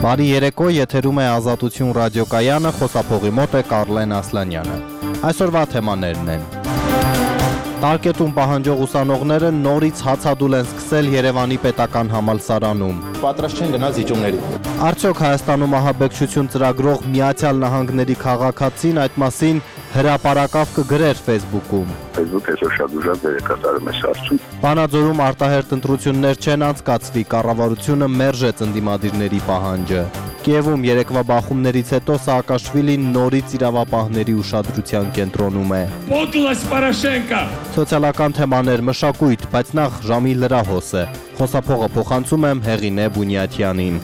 Բարի երեկո, եթերում է Ազատություն ռադիոկայանը, խոսափողի մոտ է Կարլեն Ասլանյանը։ Այսօրվա թեմաներն են. Տարկետում պահանջող ուսանողները նորից հացադուլ են սկսել Երևանի պետական համալսարանում։ Պատրաստ չեն գնալ զիջումների։ Արդյոք Հայաստանում ահաբեկչություն ծրագրող Միացյալ Նահանգների քաղաքացին այդ մասին հրապարակավ կգրեր Facebook-ում։ Facebook-ը այսօր շատ ուժեղ դեր է կատարում այս հարցում։ Վանաձորում արտահերթ ընտրություններ չեն անցկացվի, կառավարությունը մերժեց ընդդիմադիրների պահանջը։ Կիևում երեկվա բախումներից հետո Սաակաշվիլին նորից իրավապահների ուշադրության կենտրոնում է։ Պոկլաս Պարաշենկա։ Սոցիալական թեմաներ, մշակույթ, բայց նախ ժամի լրահոս է։ Խոսափողը փոխանցում եմ Հեղինե Բունյաթյանին։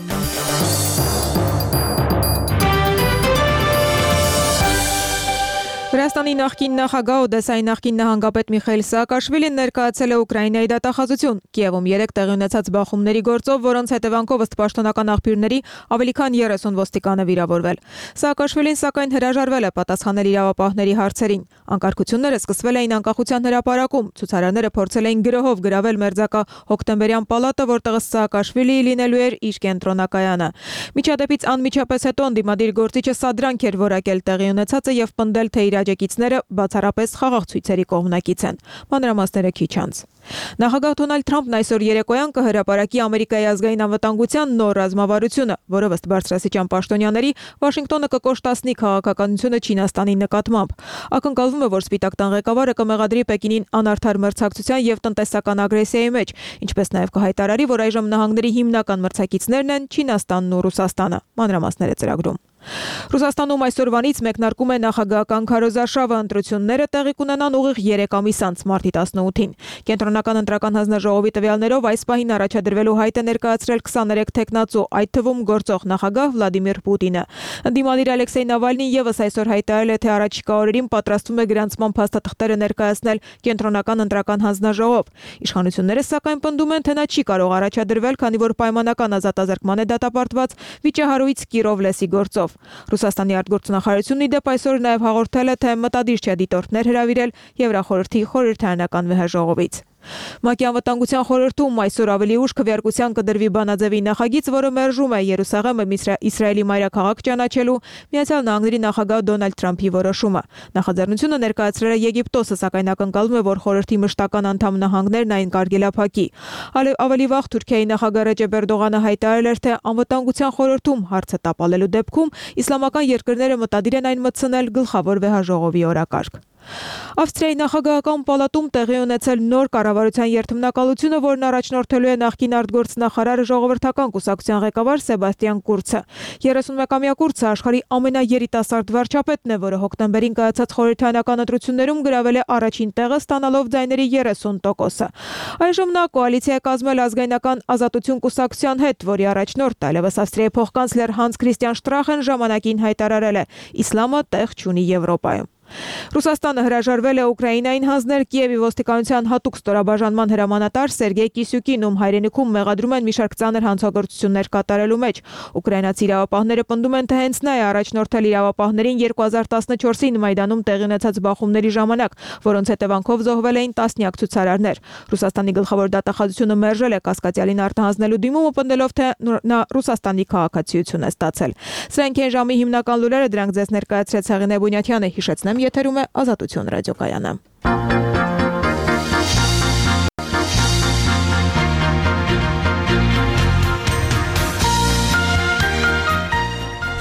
Վրաստանի նախկին նախագահ Օդեսայի նախկին նահանգապետ Միխայիլ Սաակաշվիլին ներկայացել է Ուկրաինայի դատախազություն։ Կիևում 3 տեղի ունեցած բախումների գործով, որոնց հետևանքով ըստ պաշտոնական աղբյուրների ավելի քան 30 ոստիկան է վիրավորվել։ Սաակաշվիլին սակայն հրաժարվել է պատասխանել իրավապահների հարցերին։ Անկարգությունները սկսվել էին անկախության հրապարակում։ Ցուցարարները փորձել էին գրոհով գրավել մերձակա Հոկտեմբերյան պալատը, որտեղ Սաակաշվիլիի լինելու էր իր կենտրոնակայանը։ Միջադեպից անմիջապես հետո ընդդիմադիր գործիչը սադրանք էր որակել տեղի ունեցածը եւ պնդել, թե իր աջակիցները բացառապես խաղաղ ցույցերի կողմնակից են։ Մանրամասները քիչ անց։ Նախագահ Դոնալդ Թրամփն այսօր երեկոյան կհրապարակի Ամերիկայի ազգային անվտանգության նոր ռազմավարությունը, որը ըստ բարձրաստիճան պաշտոնյաների Վաշինգտոնը կկոշտացնի քաղաքականությունը Չինաստանի նկատմամբ։ Ակնկալվում է, որ Սպիտակ տան ղեկավարը կմեղադրի Պեկինին անարդար մրցակցության եւ տնտեսական ագրեսիայի մեջ, ինչպես նաեւ կհայտարարի, որ այժմ նահանգների հիմնական մրցակիցներն են Չինաստանն ու Ռուսաստանը։ Մանրամասները ծրագրում։ Ռուսաստանում այսօրվանից մեկնարկում է նախագահական քարոզարշավը, ընտրությունները տեղի կունենան ուղիղ 3 ամիս անց մարտի 18-ին։ Կենտրոնական ընտրական հանձնաժողովի տվյալներով այս պահին առաջադրվելու հայտ է ներկայացրել 23 թեկնածու, այդ թվում գործող նախագահ Վլադիմիր Պուտինը։ Ընդդիմադիր Ալեքսեյ Նավալնին եւս այսօր հայտարարել է, թե առաջիկա օրերին պատրաստվում է գրանցման փաստաթղթերը ներկայացնել Կենտրոնական ընտրական հանձնաժողով։ Իշխանությունները սակայն պնդում են, թե նա չի կարող առաջադրվել, քանի որ պայմանական ազատազրկման է դատապարտված վիճահարույց Կիրովլեսի գործով։ Ռուսաստանի արտգործնախարարությունն ի դեպ այսօր նաև հաղորդել է, թե մտադիր չէ դիտորդներ հրավիրել Եվրախորհրդի խորհրդարանական վեհաժողովից։ ՄԱԿ-ի անվտանգության խորհրդում այսօր ավելի ուշ քվեարկության կդրվի բանաձևի նախագիծ, որը մերժում է Երուսաղեմը Իսրայելի մայրաքաղաք ճանաչելու Միացյալ Նահանգների նախագահ Դոնալդ Թրամփի որոշումը։ Նախաձեռնությունը ներկայացրել է Եգիպտոսը, սակայն ակնկալվում է, որ խորհրդի մշտական անդամ նահանգներն այն կարգելափակի։ Ավելի վաղ Թուրքիայի նախագահ Ռեջեփ Էրդողանը հայտարարել էր, թե անվտանգության խորհրդում հարցը տապալելու դեպքում իսլամական երկրները մտադիր են այն մտցնել գլխավոր վեհաժողովի օրակարգ։ Ավստրիայի նախագահական պալատում տեղի ունեցել նոր կառավարության երթմնակալությունը, որն առաջնորդելու է նախկին արտգործնախարարը ժողովրդական կուսակցության ղեկավար Սեբաստիան Կուրցը։ 31-ամյա Կուրցը աշխարհի ամենաերիտասարդ վարչապետն է, որը հոկտեմբերին կայացած խորհրդարանական ընտրություններում գրավել է առաջին տեղը, ստանալով ձայների 30%-ը։ Այժմ նա կոալիցիա է կազմել ազգայնական ազատություն կուսակցության հետ, որի առաջնորդ այլևս Ավստրիայի փոխկանցլեր Հանս Քրիստիան Շտրախեն ժամանակին հայտարարել է. «Իսլամը տեղ չունի Եվրոպայում»։ Ռուսաստանը հրաժարվել է Ուկրաինային հանձնել Կիևի ոստիկանության հատուկ ստորաբաժանման հրամանատար Սերգեյ Կիսյուկին, ում հայրենիքում մեղադրում են մի շարք ծանր հանցագործություններ կատարելու մեջ։ Ուկրաինացի իրավապահները պնդում են, թե հենց նա է առաջնորդել իրավապահներին 2014-ին Մայդանում տեղի ունեցած բախումների ժամանակ, որոնց հետևանքով զոհվել էին տասնյակ ցուցարարներ։ Ռուսաստանի գլխավոր դատախազությունը մերժել է կասկածյալին արտահանձնելու դիմումը, պնդելով, թե նա Ռուսաստանի քաղաքացիություն է ստացել։ Սրանք են ժամի հիմնական լուրերը, դրանք ձեզ ներկայացրեց Հեղինե Բունյաթյանը, հիշեցնեմ, եթերում է Ազատություն ռադիոկայանը։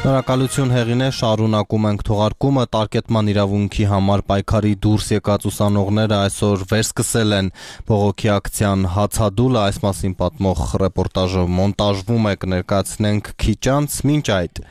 Շնորհակալություն Հեղինե, շարունակում ենք թողարկումը։ Տարկետման իրավունքի համար պայքարի դուրս եկած ուսանողները այսօր վերսկսել են բողոքի ակցիան հացադուլը, այս մասին պատմող ռեպորտաժը մոնտաժվում է, կներկայացնենք քիչ անց։ Մինչ այդ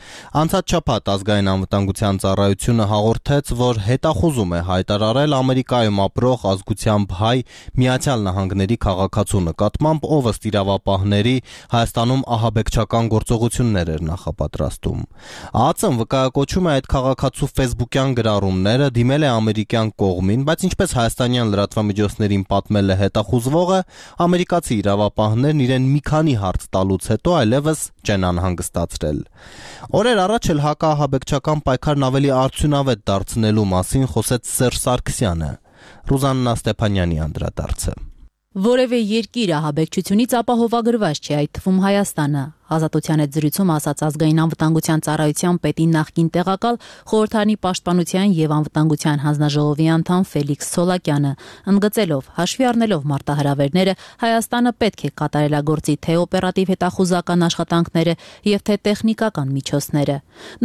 անցած շաբաթ ազգային անվտանգության ծառայությունը հաղորդեց, որ հետախուզում է հայտարարել Ամերիկայում ապրող ազգությամբ հայ Միացյալ Նահանգների քաղաքացու նկատմամբ, ով ըստ իրավապահների Հայաստանում ահաբեկչական գործողություններ էր նախապատրաստում։ ԱԱԾ-ն վկայակոչում է այդ քաղաքացու ֆեյսբուքյան գրառումները, դիմել է ամերիկյան կողմին, բայց ինչպես հայաստանյան լրատվամիջոցներին պատմել է հետախուզվողը, ամերիկացի իրավապահներն իրեն մի քանի հարց տալուց հետո այլևս չեն անհանգստացրել։ Օրեր առաջ էլ հակաահաբեկչական պայքարն ավելի արդյունավետ դարձնելու մասին խոսեց Սերժ Սարգսյանը։ Ռուզաննա Ստեփանյանի անդրադարձը։ Որևէ երկիր ահաբեկչությունից ապահովագրված չէ, այդ թվում Հայաստանը։ Ազատության հետ զրույցում ասաց ազգային անվտանգության ծառայության պետի նախկին տեղակալ, խորհրդարանի պաշտպանության եւ անվտանգության հանձնաժողովի անդամ Ֆելիքս Ցոլակյանը, ընդգծելով հաշվի առնելով մարտահրավերները, Հայաստանը պետք է կատարելագործի թե օպերատիվ հետախուզական աշխատանքները եւ թե տեխնիկական միջոցները։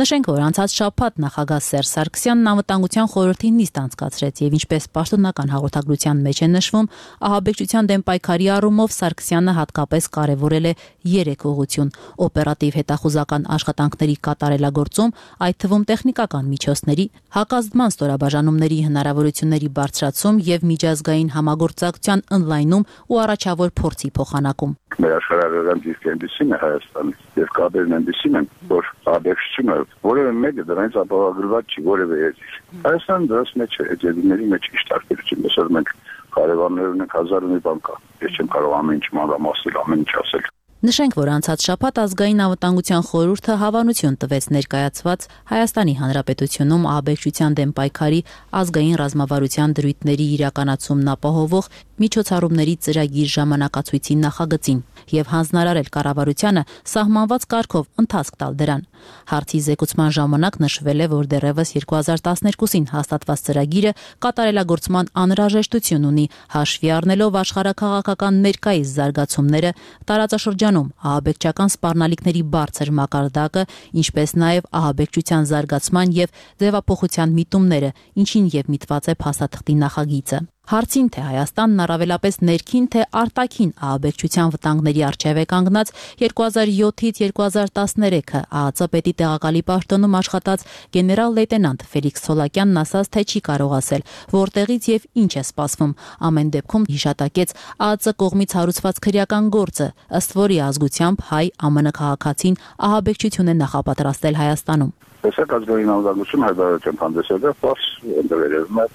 Նշենք, որ անցած շաբաթ նախագահ Սերժ Սարգսյանն անվտանգության խորհրդի նիստ անցկացրեց եւ ինչպես պաշտոնական հաղորդագրության մեջ է նշվում, ահաբեկչության դեմ պայքարի առումով Սարգսյանը հատկապես կարևորել է 3 ուղղություն՝ օպերատիվ հետախուզական աշխատանքների կատարելագործում, այդ թվում տեխնիկական միջոցների, հակազդման ստորաբաժանումների հնարավորությունների բարձրացում եւ միջազգային համագործակցության ընդլայնում ու առաջավոր փորձի փոխանակում։ Մեր աշխարհագրական դիրքը այնպեսին է Հայաստանի եւ կապերն այնպեսին են, որ ահաբեկչությունը որևէ մեկը դրանից ապահովագրված չի, որևէ երկիր։ Հայաստանը դրանց մեջ է, ջերմերի մեջ ինչ տարբերություն, այսօր մենք կարևորներ ունենք 1000 մի բան կա։ Ես չեմ կարող ամեն ինչ մանրամասնել, ամեն ինչ ասել։ Նշենք, որ անցած շաբաթ ազգային անվտանգության խորհուրդը հավանություն տվեց ներկայացված Հայաստանի Հանրապետությունում ահաբեկչության դեմ պայքարի ազգային ռազմավարության դրույթների իրականացումն ապահովող միջոցառումների ծրագիր ժամանակացույցի նախագծին եւ հանձնարարել կառավարությանը սահմանված կարգով ընթացք տալ դրան։ Հարցի զեկուցման ժամանակ նշվել է, որ դեռևս 2012-ին հաստատված ծրագիրը կատարելագործման անհրաժեշտություն ունի, հաշվի առնելով աշխարհաքաղաքական ներկայիս զարգացումները, տարածաշրջանում ահաբեկչական սպառնալիքների բարձր մակարդակը, ինչպես նաև ահաբեկչության զարգացման եւ ձևափոխության միտումները, ինչին եւ միտված է փաստաթղթի նախագիծը։ Հարցին, թե Հայաստանն առավելապես ներքին թե արտաքին ահաբեկչության վտանգների առջև է կանգնած 2007-ից 2013-ը ԱԱԾ պետի տեղակալի պաշտոնում աշխատած գեներալ լեյտենանտ Ֆելիքս Ցոլակյանն ասաց, թե չի կարող ասել, որտեղից եւ ինչ է սպասվում։ Ամեն դեպքում հիշատակեց ԱԱԾ կողմից հարուցված քրեական գործը, ըստ որի ազգությամբ հայ ԱՄՆ քաղաքացին ահաբեկչություն է նախապատրաստել Հայաստանում։ Տեսակ ազգային անվտանգություն հայտարարության հանդեսել է ֆարս ընդրելում է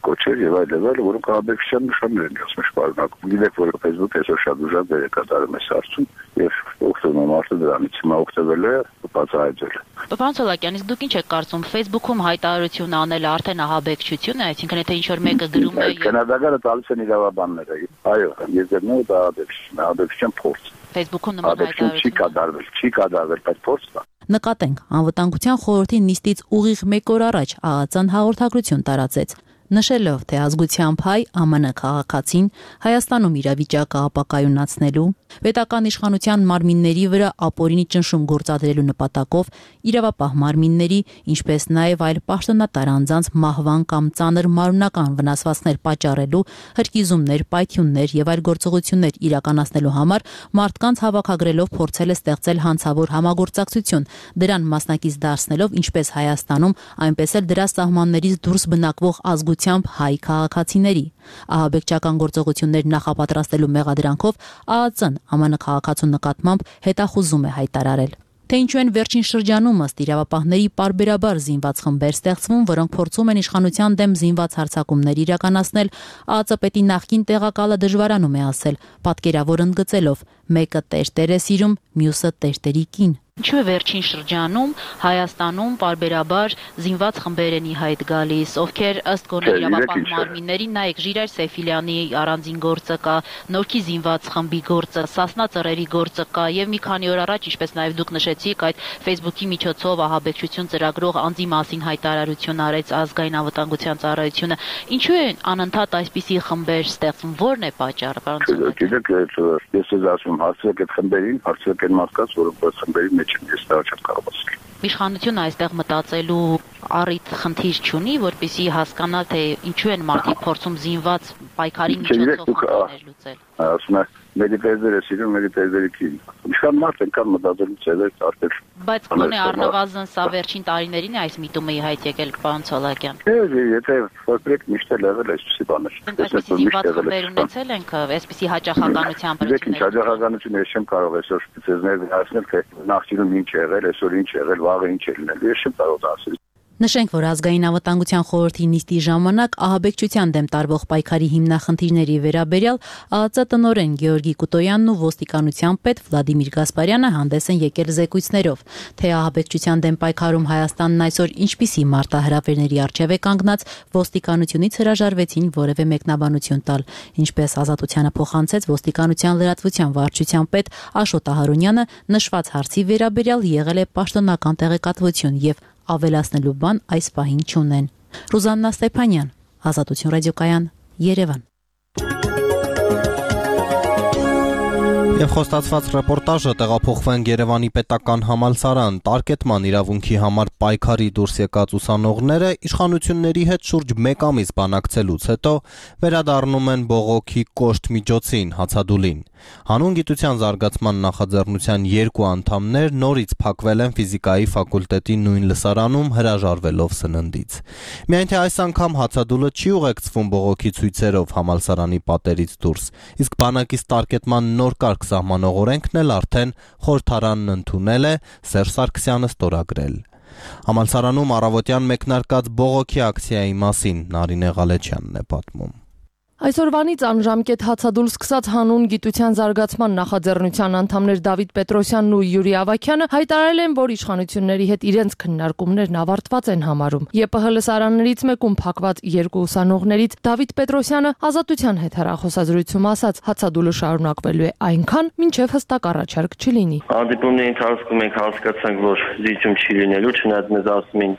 կոչեր եւ այլն, որոնք ահաբեկչության նշաններ են ասում շարունակում։ Գիտեք, որ Facebook այսօր շատ ուժեղ դեր է կատարում այս հարցում եւ օգտվում մարդը դրանից հիմա օգտվել է բացահայտել։ Պարոն Ցոլակյան, իսկ դուք ինչ եք կարծում, Facebook-ում հայտարարություն անելը արդեն ահաբեկչություն է, այսինքն եթե ինչ-որ մեկը գրում է Կենադագարը տալիս են իրավաբանները։ Այո, եզերները դա ահաբեկչության փորձ։ Facebook-ում նման հայտարարություն չի կատարվել, բայց փորձ կա։ Նկատենք, անվտանգության խորհրդի նիստից ուղիղ 1 օր առաջ ԱԱԾ-ն հաղորդագրություն տարածեց, նշելով, թե ազգությամբ հայ ԱՄՆ քաղաքացին Հայաստանում իրավիճակը ապակայունացնելու, պետական իշխանության մարմինների վրա ապօրինի ճնշում գործադրելու նպատակով իրավապահ մարմինների, ինչպես նաև այլ պաշտոնատար անձանց մահվան կամ ծանր մարմնական վնասվածքներ պատճառելու, հրկիզումներ, պայթյուններ եւ այլ գործողություններ իրականացնելու համար մարդկանց հավաքագրելով փորձել է ստեղծել հանցավոր համագործակցություն, դրան մասնակից դարձնելով ինչպես Հայաստանում, այնպես էլ դրա սահմաններից դուրս բնակվող ազգությամբ հայ քաղաքացիների։ Ահաբեկչական գործողություններ նախապատրաստելու մեղադրանքով ԱԱԾ-ն ԱՄՆ քաղաքացու նկատմամբ հետախուզում է հայտարարել։ Թե ինչու են վերջին շրջանում ըստ իրավապահների պարբերաբար զինված խմբեր ստեղծվում, որոնք փորձում են իշխանության դեմ զինված հարձակումներ իրականացնել, ԱԱԾ պետի նախկին տեղակալը դժվարանում է ասել, պատկերավոր ընդգծելով. մեկը տեր է սիրում, մյուսը տերտերի կին։ Ինչու է վերջին շրջանում Հայաստանում պարբերաբար զինված խմբեր են ի հայտ գալիս, ովքեր ըստ գոնե իրավապահ մարմինների, նայեք Ժիրայր Սեֆիլյանի առանձին գործը կա, Նորքի զինված խմբի գործը, Սասնա ծռերի գործը կա եւ մի քանի օր առաջ, ինչպես նաեւ դուք նշեցիք, այդ Facebook-ի միջոցով ահաբեկչություն ծրագրող անձի մասին հայտարարություն արեց ազգային անվտանգության ծառայությունը։ Ինչու են անընդհատ այսպիսի խմբեր ստեղծվում, որն է պատճառը, պարոն Ցոլակյան։ Գիտեք, ես ասում հարցրեք այդ խմբերին, հարցրեք այն մարդկանց, որոնք այդ խմբերի ես դա չեմ կարող ասել։ Իշխանությունը այստեղ մտածելու առիթ խնդիր չունի, որպեսզի հասկանա, թե ինչու են մարդիկ փորձում զինված պայքարի միջոցով խնդիրներ լուծել։ Ասում է, մեկի տերերը սիրում, մեկի տերերը կին։ Իշխան մարդ ենքան մտածելու ծերեր տարբեր։ Բայց գոնե առնվազն սա վերջին տարիներին է այս միտումը ի հայտ եկել, պարոն Ցոլակյան։ Եթե որպես միշտ էլ եղել այսպիսի բաներ։ Այսպիսի զինված խմբեր ունեցել ենք, այսպիսի հաճախականությամբ։ Դեք ինչ հաճախականություն ես չեմ կարող այսօր ցեզներ ասել, թե նախկինում ինչ եղել, այսօր ինչ եղել, վաղը ինչ է լինել։ Ես չեմ կարող դա ասել։ Նշենք, որ ազգային անվտանգության խորհրդի նիստի ժամանակ ահաբեկչության դեմ տարվող պայքարի հիմնախնդիրների վերաբերյալ ԱԱԾ տնօրեն Գեորգի Կուտոյանն ու ոստիկանության պետ Վլադիմիր Գասպարյանը հանդես են եկել զեկույցներով, թե ահաբեկչության դեմ պայքարում Հայաստանն այսօր ինչպիսի մարտահրավերների առջև է կանգնած, ոստիկանությունից հրաժարվեցին որևէ մեկնաբանություն տալ, ինչպես Ազատությանը փոխանցեց ոստիկանության լրատվության վարչության պետ Աշոտ Ահարոնյանը, նշված հարցի վերաբերյալ եղել է պաշտոնական տեղեկատվություն եւ ավելացնելու բան այս պահին չունեն։ Ռուզաննա Ստեփանյան, Ազատություն ռադիոկայան, Երևան։ Եվ խոստացված ռեպորտաժը տեղափոխվենք Երևանի պետական համալսարան, տարկետման իրավունքի համար պայքարի դուրս եկած ուսանողները իշխանությունների հետ շուրջ 1 ամիս բանակցելուց հետո վերադառնում են բողոքի կոշտ միջոցին, հացադուլին։ Հանուն գիտության զարգացման նախաձեռնության 2 անդամներ նորից փակվել են ֆիզիկայի ֆակուլտետի նույն լսարանում հրաժարվելով սննդից։ Միայն թե այս անգամ հացադուլը չի ուղեկցվում բողոքի ցույցերով համալսարանի պատերից դուրս, իսկ բանակից տարկետման նոր կարգ սահմանող օրենքն էլ արդեն խորհրդարանն ընդունել է, Սերժ Սարգսյանը ստորագրել։ Համալսարանում առավոտյան մեկնարկած բողոքի ակցիայի մասին Նարինե Ղալեչյանն է պատմում։ Այսօրվանից անժամկետ հացադուլ սկսած հանուն գիտության զարգացման նախաձեռնության անդամներ Դավիթ Պետրոսյանն ու Յուրի Ավագյանը հայտարարել են, որ իշխանությունների հետ իրենց քննարկումներն ավարտված են համարում։ ԵՊՀ լսարաններից մեկում փակված 2 ուսանողներից Դավիթ Պետրոսյանը Ազատության հետ հեռախոսազրույցում ասաց, հացադուլը շարունակվելու է այնքան, մինչև հստակ առաջարկ չլինի։ Հանդիպումների ընթացքում մենք հասկացանք, որ զիջում չի լինելու, չնայած մեզ ասում են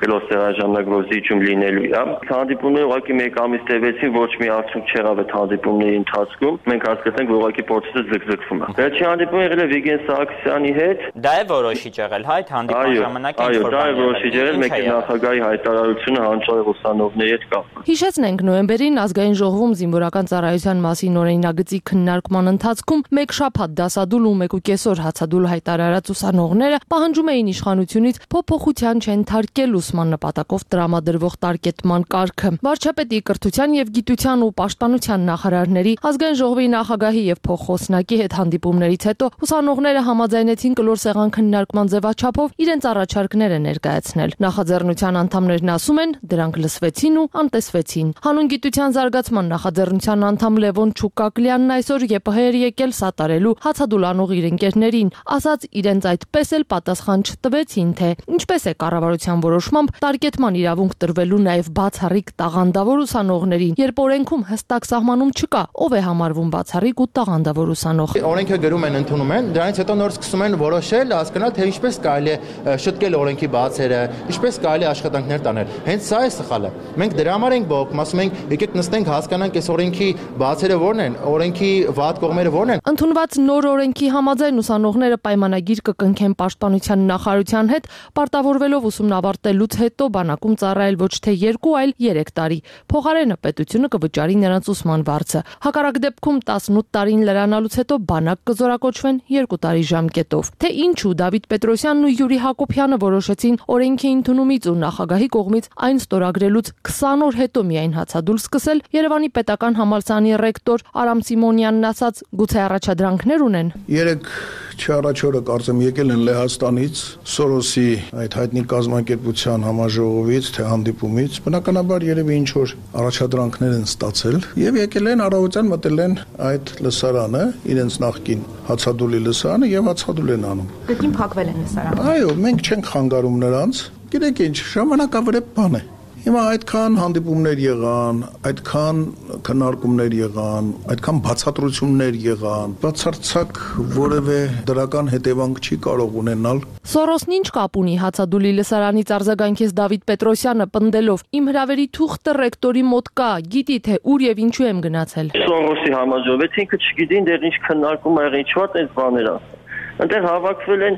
գլոստերաժանակ զիջում լինելու է։ Հանդիպումները ուղղակի 1 ամիս տևեցին, ոչ մի արդյունք չեղավ այդ հանդիպումների ընթացքում։ Մենք հասկացանք, որ ուղղակի process-ը զգզգվում է։ Վերջին հանդիպումը եղել է Վիգեն Սահակյանի հետ։ Դա է որոշիչ եղել, հայ հանդիպման ժամանակ ինչ որ բան։ Այո, դա է որոշիչ եղել, մեկ նախագահի հայտարարությունը հանճարեղ ուսանողների հետ կապված։ Հիշեցնենք, նոյեմբերին ազգային ժողովում զինվորական ծառայության մասին օրինագծի քննարկման ընթացքում 1 շաբաթ դասադուլ ու 1.5 օր հացադուլ հայտարարած ուսանողները պահանջում էին իշխանությունից փոփոխության չընթարկել ուսման նպատակով տրամադրվող տարկետման կարգը։ Վարչապետի կրթության եւ գիտության ու պաշտպանության նախարարների, ազգային ժողովի նախագահի եւ փոխխոսնակի հետ հանդիպումներից հետո ուսանողները համաձայնեցին կլոր սեղան քննարկման ձևաչափով իրենց առաջարկները ներկայացնել։ Նախաձեռնության անդամներն ասում են, դրանք լսվեցին ու անտեսվեցին։ Հանուն գիտության զարգացման նախաձեռնության անդամ Լևոն Չուկակլյանն այսօր ԵՊՀ-եր եկել սատարելու հացադուլանող իր ընկերներին, ասաց իրենց այդպես էլ պատասխան չտվեցին, թե ինչպես է կառավարության որոշմամբ տարկետման իրավունք տրվելու նաև բացառիկ տաղանդավոր ուսանողներին, երբ օրենքում հստակ սահմանում չկա, ով է համարվում բացառիկ ու տաղանդավոր ուսանող։ Օրենքը գրում են, ընդունում են, դրանից հետո նոր սկսում են որոշել, հասկանալ, թե ինչպես կարելի է շտկել օրենքի բացերը, ինչպես կարելի է աշխատանքներ տանել։ Հենց սա է սխալը։ Մենք դրա համար ենք բողոքում, ասում ենք, եկեք նստենք, հասկանանք այս օրենքի բացերը որն են, օրենքի վատ կողմերը որն են։ Ընդունված նոր օրենքի համաձայն ուսանողները պայմանագիր կկնքեն պաշտպանության նախարարության հետ, պարտավորվելով ուսումն ավարտելուց հետո բանակում ծառայել ոչ թե 2, այլ 3 տարի։ Փոխարենը պետությունը կվճարի նրանց ուսման վարձը։ Հակառակ դեպքում 18 տարին լրանալուց հետո բանակ կզորակոչվեն 2 տարի ժամկետով։ Թե ինչու Դավիթ Պետրոսյանն ու Յուրի Հակոբյանը որոշեցին օրենքի ընդունումից ու նախագահի կողմից այն ստորագրելուց 20 օր հետո միայն հացադուլ սկսել, Երևանի պետական համալսարանի ռեկտոր Արամ Սիմոնյանն ասաց, գուցե առաջադրանքներ ունեն։ 3 չառաջորը կարծեմ եկել են Լեհաստանից, Սորոսի այդ հայտնի կազմակերպության համաժողովից, թե հանդիպումից, բնականաբար երևի ինչ որ առաջադրանքներ են ստացել եւ եկել են առավոտյան մտել են այդ լսարանը, իրենց նախկին հացադուլի լսարանը եւ հացադուլ են անում։ Դեպքին փակվել են լսարանը։ Այո, մենք չենք խանգարում նրանց։ Գիտեք ինչ, ժամանակավրեպ բան է։ Հիմա այդքան հանդիպումներ եղան, այդքան քննարկումներ եղան, այդքան բացատրություններ եղան, բացարձակ որևէ դրական հետևանք չի կարող ունենալ։ Սորոսն ինչ կապ ունի հացադուլի լսարանից արձագանքեց Դավիթ Պետրոսյանը պնդելով. Իմ հրավերի թուղթը ռեկտորի մոտ կա, գիտի թե ուր եւ ինչու եմ գնացել։ Սորոսի համաժողովից ինքը չգիտին դեռ ինչ քննարկում ա եղել, ինչ վատ այս բաներ ասել։ Այնտեղ հավաքվել են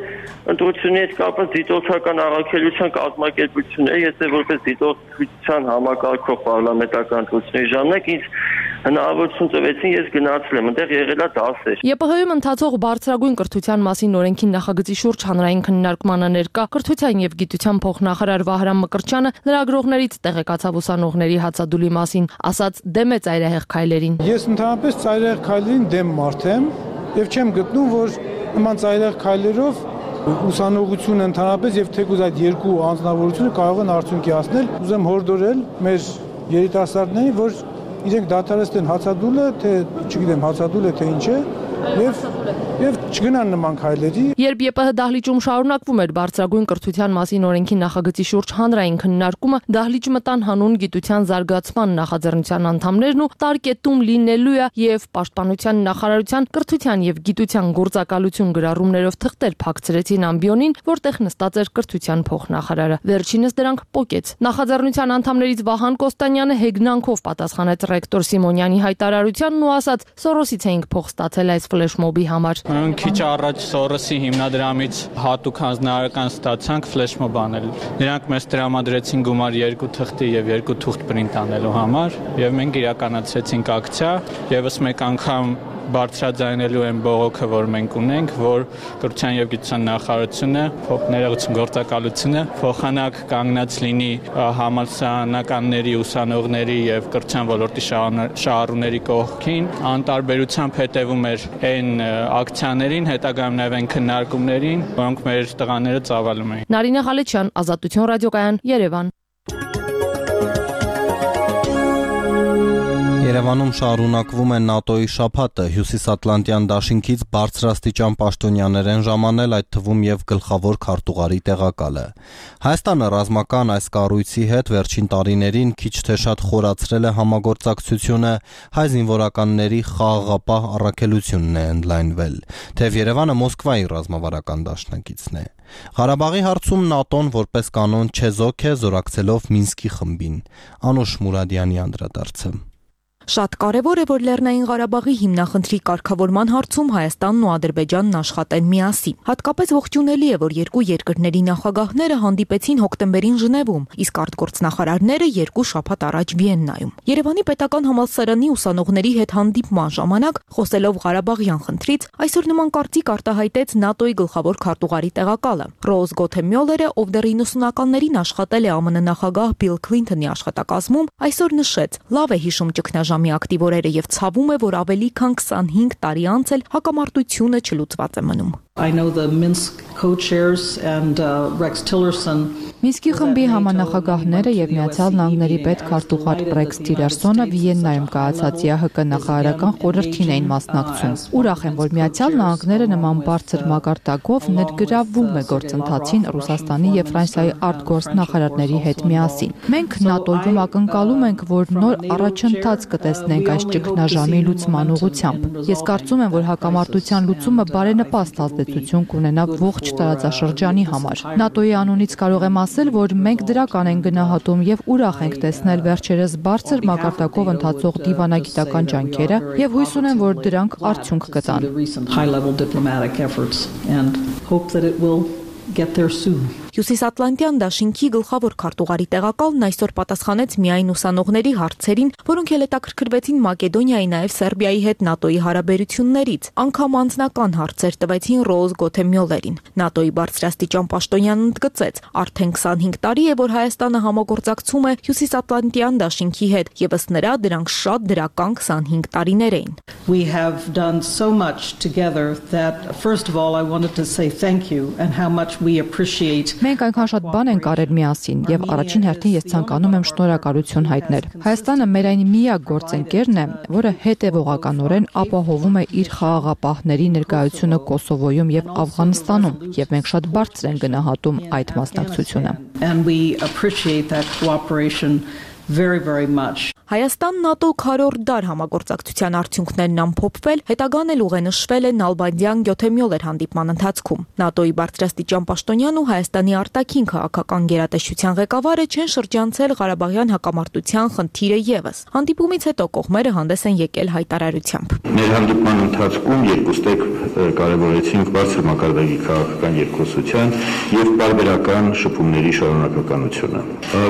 ընտրությունների հետ կապված դիտորդական առաքելության կազմակերպությունները, եթե որպես դիտորդության համակարգող պարլամենտական ընտրությունների ժամանակ ինձ հնարավորություն տվեցին, ես գնացել եմ, այնտեղ եղել է դասեր։ ԵՊՀ-ում ընթացող բարձրագույն կրթության մասին օրենքի նախագծի շուրջ հանրային քննարկմանը ներկա կրթության եւ գիտության փոխնախարար Վահրամ Մկրտչյանը լրագրողներից տեղեկացավ ուսանողների հացադուլի մասին, ասաց դեմ է ծայրահեղ քայլերին։ Ես ընդհանրապես ծայրահեղ քայլերին դեմ մարդ եմ եւ չեմ գտնում, որ նման ծայրահեղ քայլերով ուսանողությունը ընդհանրապես եւ թեկուզ այդ երկու անձնավորությունը կարող են արդյունքի հասնել։ Ուզեմ հորդորել մեր երիտասարդներին, որ իրենք դադարեցնեն հացադուլը, թե չգիտեմ հացադուլը թե ինչ է, եւ չգնան նման քայլերի։ Երբ ԵՊՀ դահլիճում շարունակվում էր բարձրագույն կրթության մասին օրենքի նախագծի շուրջ հանրային քննարկումը, դահլիճ մտան հանուն գիտության զարգացման նախաձեռնության անդամներն ու տարկետում լինելու է եւ պաշտպանության նախարարության կրթության եւ գիտության գործակալություն գրառումներով թղթեր փակցրեցին ամբիոնին, որտեղ նստած էր կրթության փոխնախարարը։ Վերջինս դրանք պոկեց։ Նախաձեռնության անդամներից Վահան Կոստանյանը հեգնանքով պատասխանեց ռեկտոր Սիմոնյանի հայտարարությանն ու ասաց. «Սորոսից էինք փող ստացել այս ֆլեշմոբի համար»։ Քիչ առաջ Սորոսի հիմնադրամից հատուկ հանձնարարական ստացանք ֆլեշմոբ անել։ Նրանք մեզ տրամադրեցին գումար 2 թղթի եւ 2 թուղթ պրինտ անելու համար եւ մենք իրականացրեցինք ակցիա, եւս մեկ անգամ բարձրաձայնելու են բողոքը, որ մենք ունենք, որ կրթության եւ գիտության նախարարությունը, ներողություն գործակալությունը փոխանակ կանգնած լինի համալսարանականների, ուսանողների եւ կրթության ոլորտի շահառուների կողքին, անտարբերությամբ հետևում էր այն ակցիաներին, հետագայում նաեւ այն քննարկումներին, որոնք մեր տղաները ծավալում էին։ Նարինե Ղալեչյան, Ազատություն ռադիոկայան, Երևան։ Երևանում շարունակվում է ՆԱՏՕ-ի շաբաթը, Հյուսիսատլանտյան դաշինքից բարձրաստիճան պաշտոնյաներ են ժամանել, այդ թվում եւ գլխավոր քարտուղարի տեղակալը։ Հայաստանը ռազմական այս կառույցի հետ վերջին տարիներին քիչ թե շատ խորացրել է համագործակցությունը, հայ զինվորականների խաղաղապահ առաքելությունն է ընդլայնվել, թեև Երևանը Մոսկվայի ռազմավարական դաշնակիցն է։ Ղարաբաղի հարցում ՆԱՏՕ-ն որպես կանոն չեզոք է, զորակցելով Մինսկի խմբին։ Անուշ Մուրադյանի անդրադարձը։ Շատ կարևոր է, որ Լեռնային Ղարաբաղի հիմնախնդրի կարգավորման հարցում Հայաստանն ու Ադրբեջանն աշխատեն միասին։ Հատկապես ողջունելի է, որ երկու երկրների նախագահները հանդիպեցին հոկտեմբերին Ժնևում, իսկ արտգործնախարարները 2 շաբաթ առաջ Վիեննայում։ Երևանի պետական համալսարանի ուսանողների հետ հանդիպման ժամանակ, խոսելով Ղարաբաղյան խնդրից, այսօր նման կարծիք արտահայտեց ՆԱՏՕ-ի գլխավոր քարտուղարի տեղակալը։ Ռոուզ Գոթեմյոլերը, ով դեռ 90-ականներին աշխատել է ԱՄՆ նախագահ Բիլ Քլինթոնի աշխատակազմում, այսօր նշեց. լավ է հիշում ճգնաժամի ակտիվ օրերը եւ ցավում է, որ ավելի քան 25 տարի անց էլ հակամարտությունը չլուծված է մնում։ I know the Minsk co-chairs and Rex Tillerson. Մինսկի խմբի համանախագահները եւ Միացյալ Նահանգների պետքարտուղար Ռեքս Թիլերսոնը Վիեննայում կայացած ԵՀԿ նախարարական խորհրդին էին մասնակցում։ Ուրախ եմ, որ Միացյալ Նահանգները նման բարձր մակարդակով ներգրավվում է գործընթացին Ռուսաստանի եւ Ֆրանսիայի արտգործնախարարների հետ միասին։ Մենք ՆԱՏՕ-ում ակնկալում ենք, որ նոր առաջընթաց կտեսնենք այս ճգնաժամի լուծման ուղղությամբ։ Ես կարծում եմ, որ հակամարտության լուծումը բարենպաստ ազդեցություն կունենա ողջ տարածաշրջանի համար։ ՆԱՏՕ-ի անունից կարող եմ ասել, որ մենք դրական ենք գնահատում եւ ուրախ ենք տեսնել վերջերս բարձր մակարդակով ընթացող դիվանագիտական ջանքերը եւ հույս ունեմ, որ դրանք արդյունք կտան։ Հյուսիսատլանտյան դաշինքի գլխավոր քարտուղարի տեղակալն այսօր պատասխանեց միայն ուսանողների հարցերին, որոնք էլ հետաքրքրվեցին Մակեդոնիայի, նաև Սերբիայի հետ ՆԱՏՕ-ի հարաբերություններից։ Անգամ անձնական հարցեր տվեցին Ռոուզ Գոթեմյոլերին։ ՆԱՏՕ-ի բարձրաստիճան պաշտոնյանն ընդգծեց. արդեն 25 տարի է, որ Հայաստանը համագործակցում է Հյուսիսատլանտյան դաշինքի հետ, եւ ըստ նրա դրանք շատ դրական 25 տարիներ էին։ We have done so much together that first of all I wanted to say thank you and how much we appreciate. Մենք այնքան շատ բան ենք արել միասին եւ առաջին հերթին ես ցանկանում եմ շնորհակալություն հայտնել։ Հայաստանը մեր այն միակ գործընկերն է, որը հետևողականորեն ապահովում է իր խաղաղապահների ներկայությունը Կոսովոյում եւ Աֆղանստանում, եւ մենք շատ բարձր ենք գնահատում այդ մասնակցությունը։ And we appreciate that cooperation very much. Հայաստան-ՆԱՏՕ քառորդ դար համագործակցության արդյունքներն ամփոփվել, հետագան էլ ուղենշվել է Նալբանդյան Գյոթեմյոլեր հանդիպման ընթացքում։ ՆԱՏՕ-ի բարձրաստիճան պաշտոնյան ու Հայաստանի արտաքին քաղաքական գերատեսչության ղեկավարը չեն շրջանցել Ղարաբաղյան հակամարտության խնդիրը եւս։ Հանդիպումից հետո կողմերը հանդես են եկել հայտարարությամբ։ Մեր հանդիպման ընթացքում երկուստեք կարևորեցինք բարձր մակարդակի քաղաքական երկխոսության եւ բարբերական շփումների շարունակականությունը։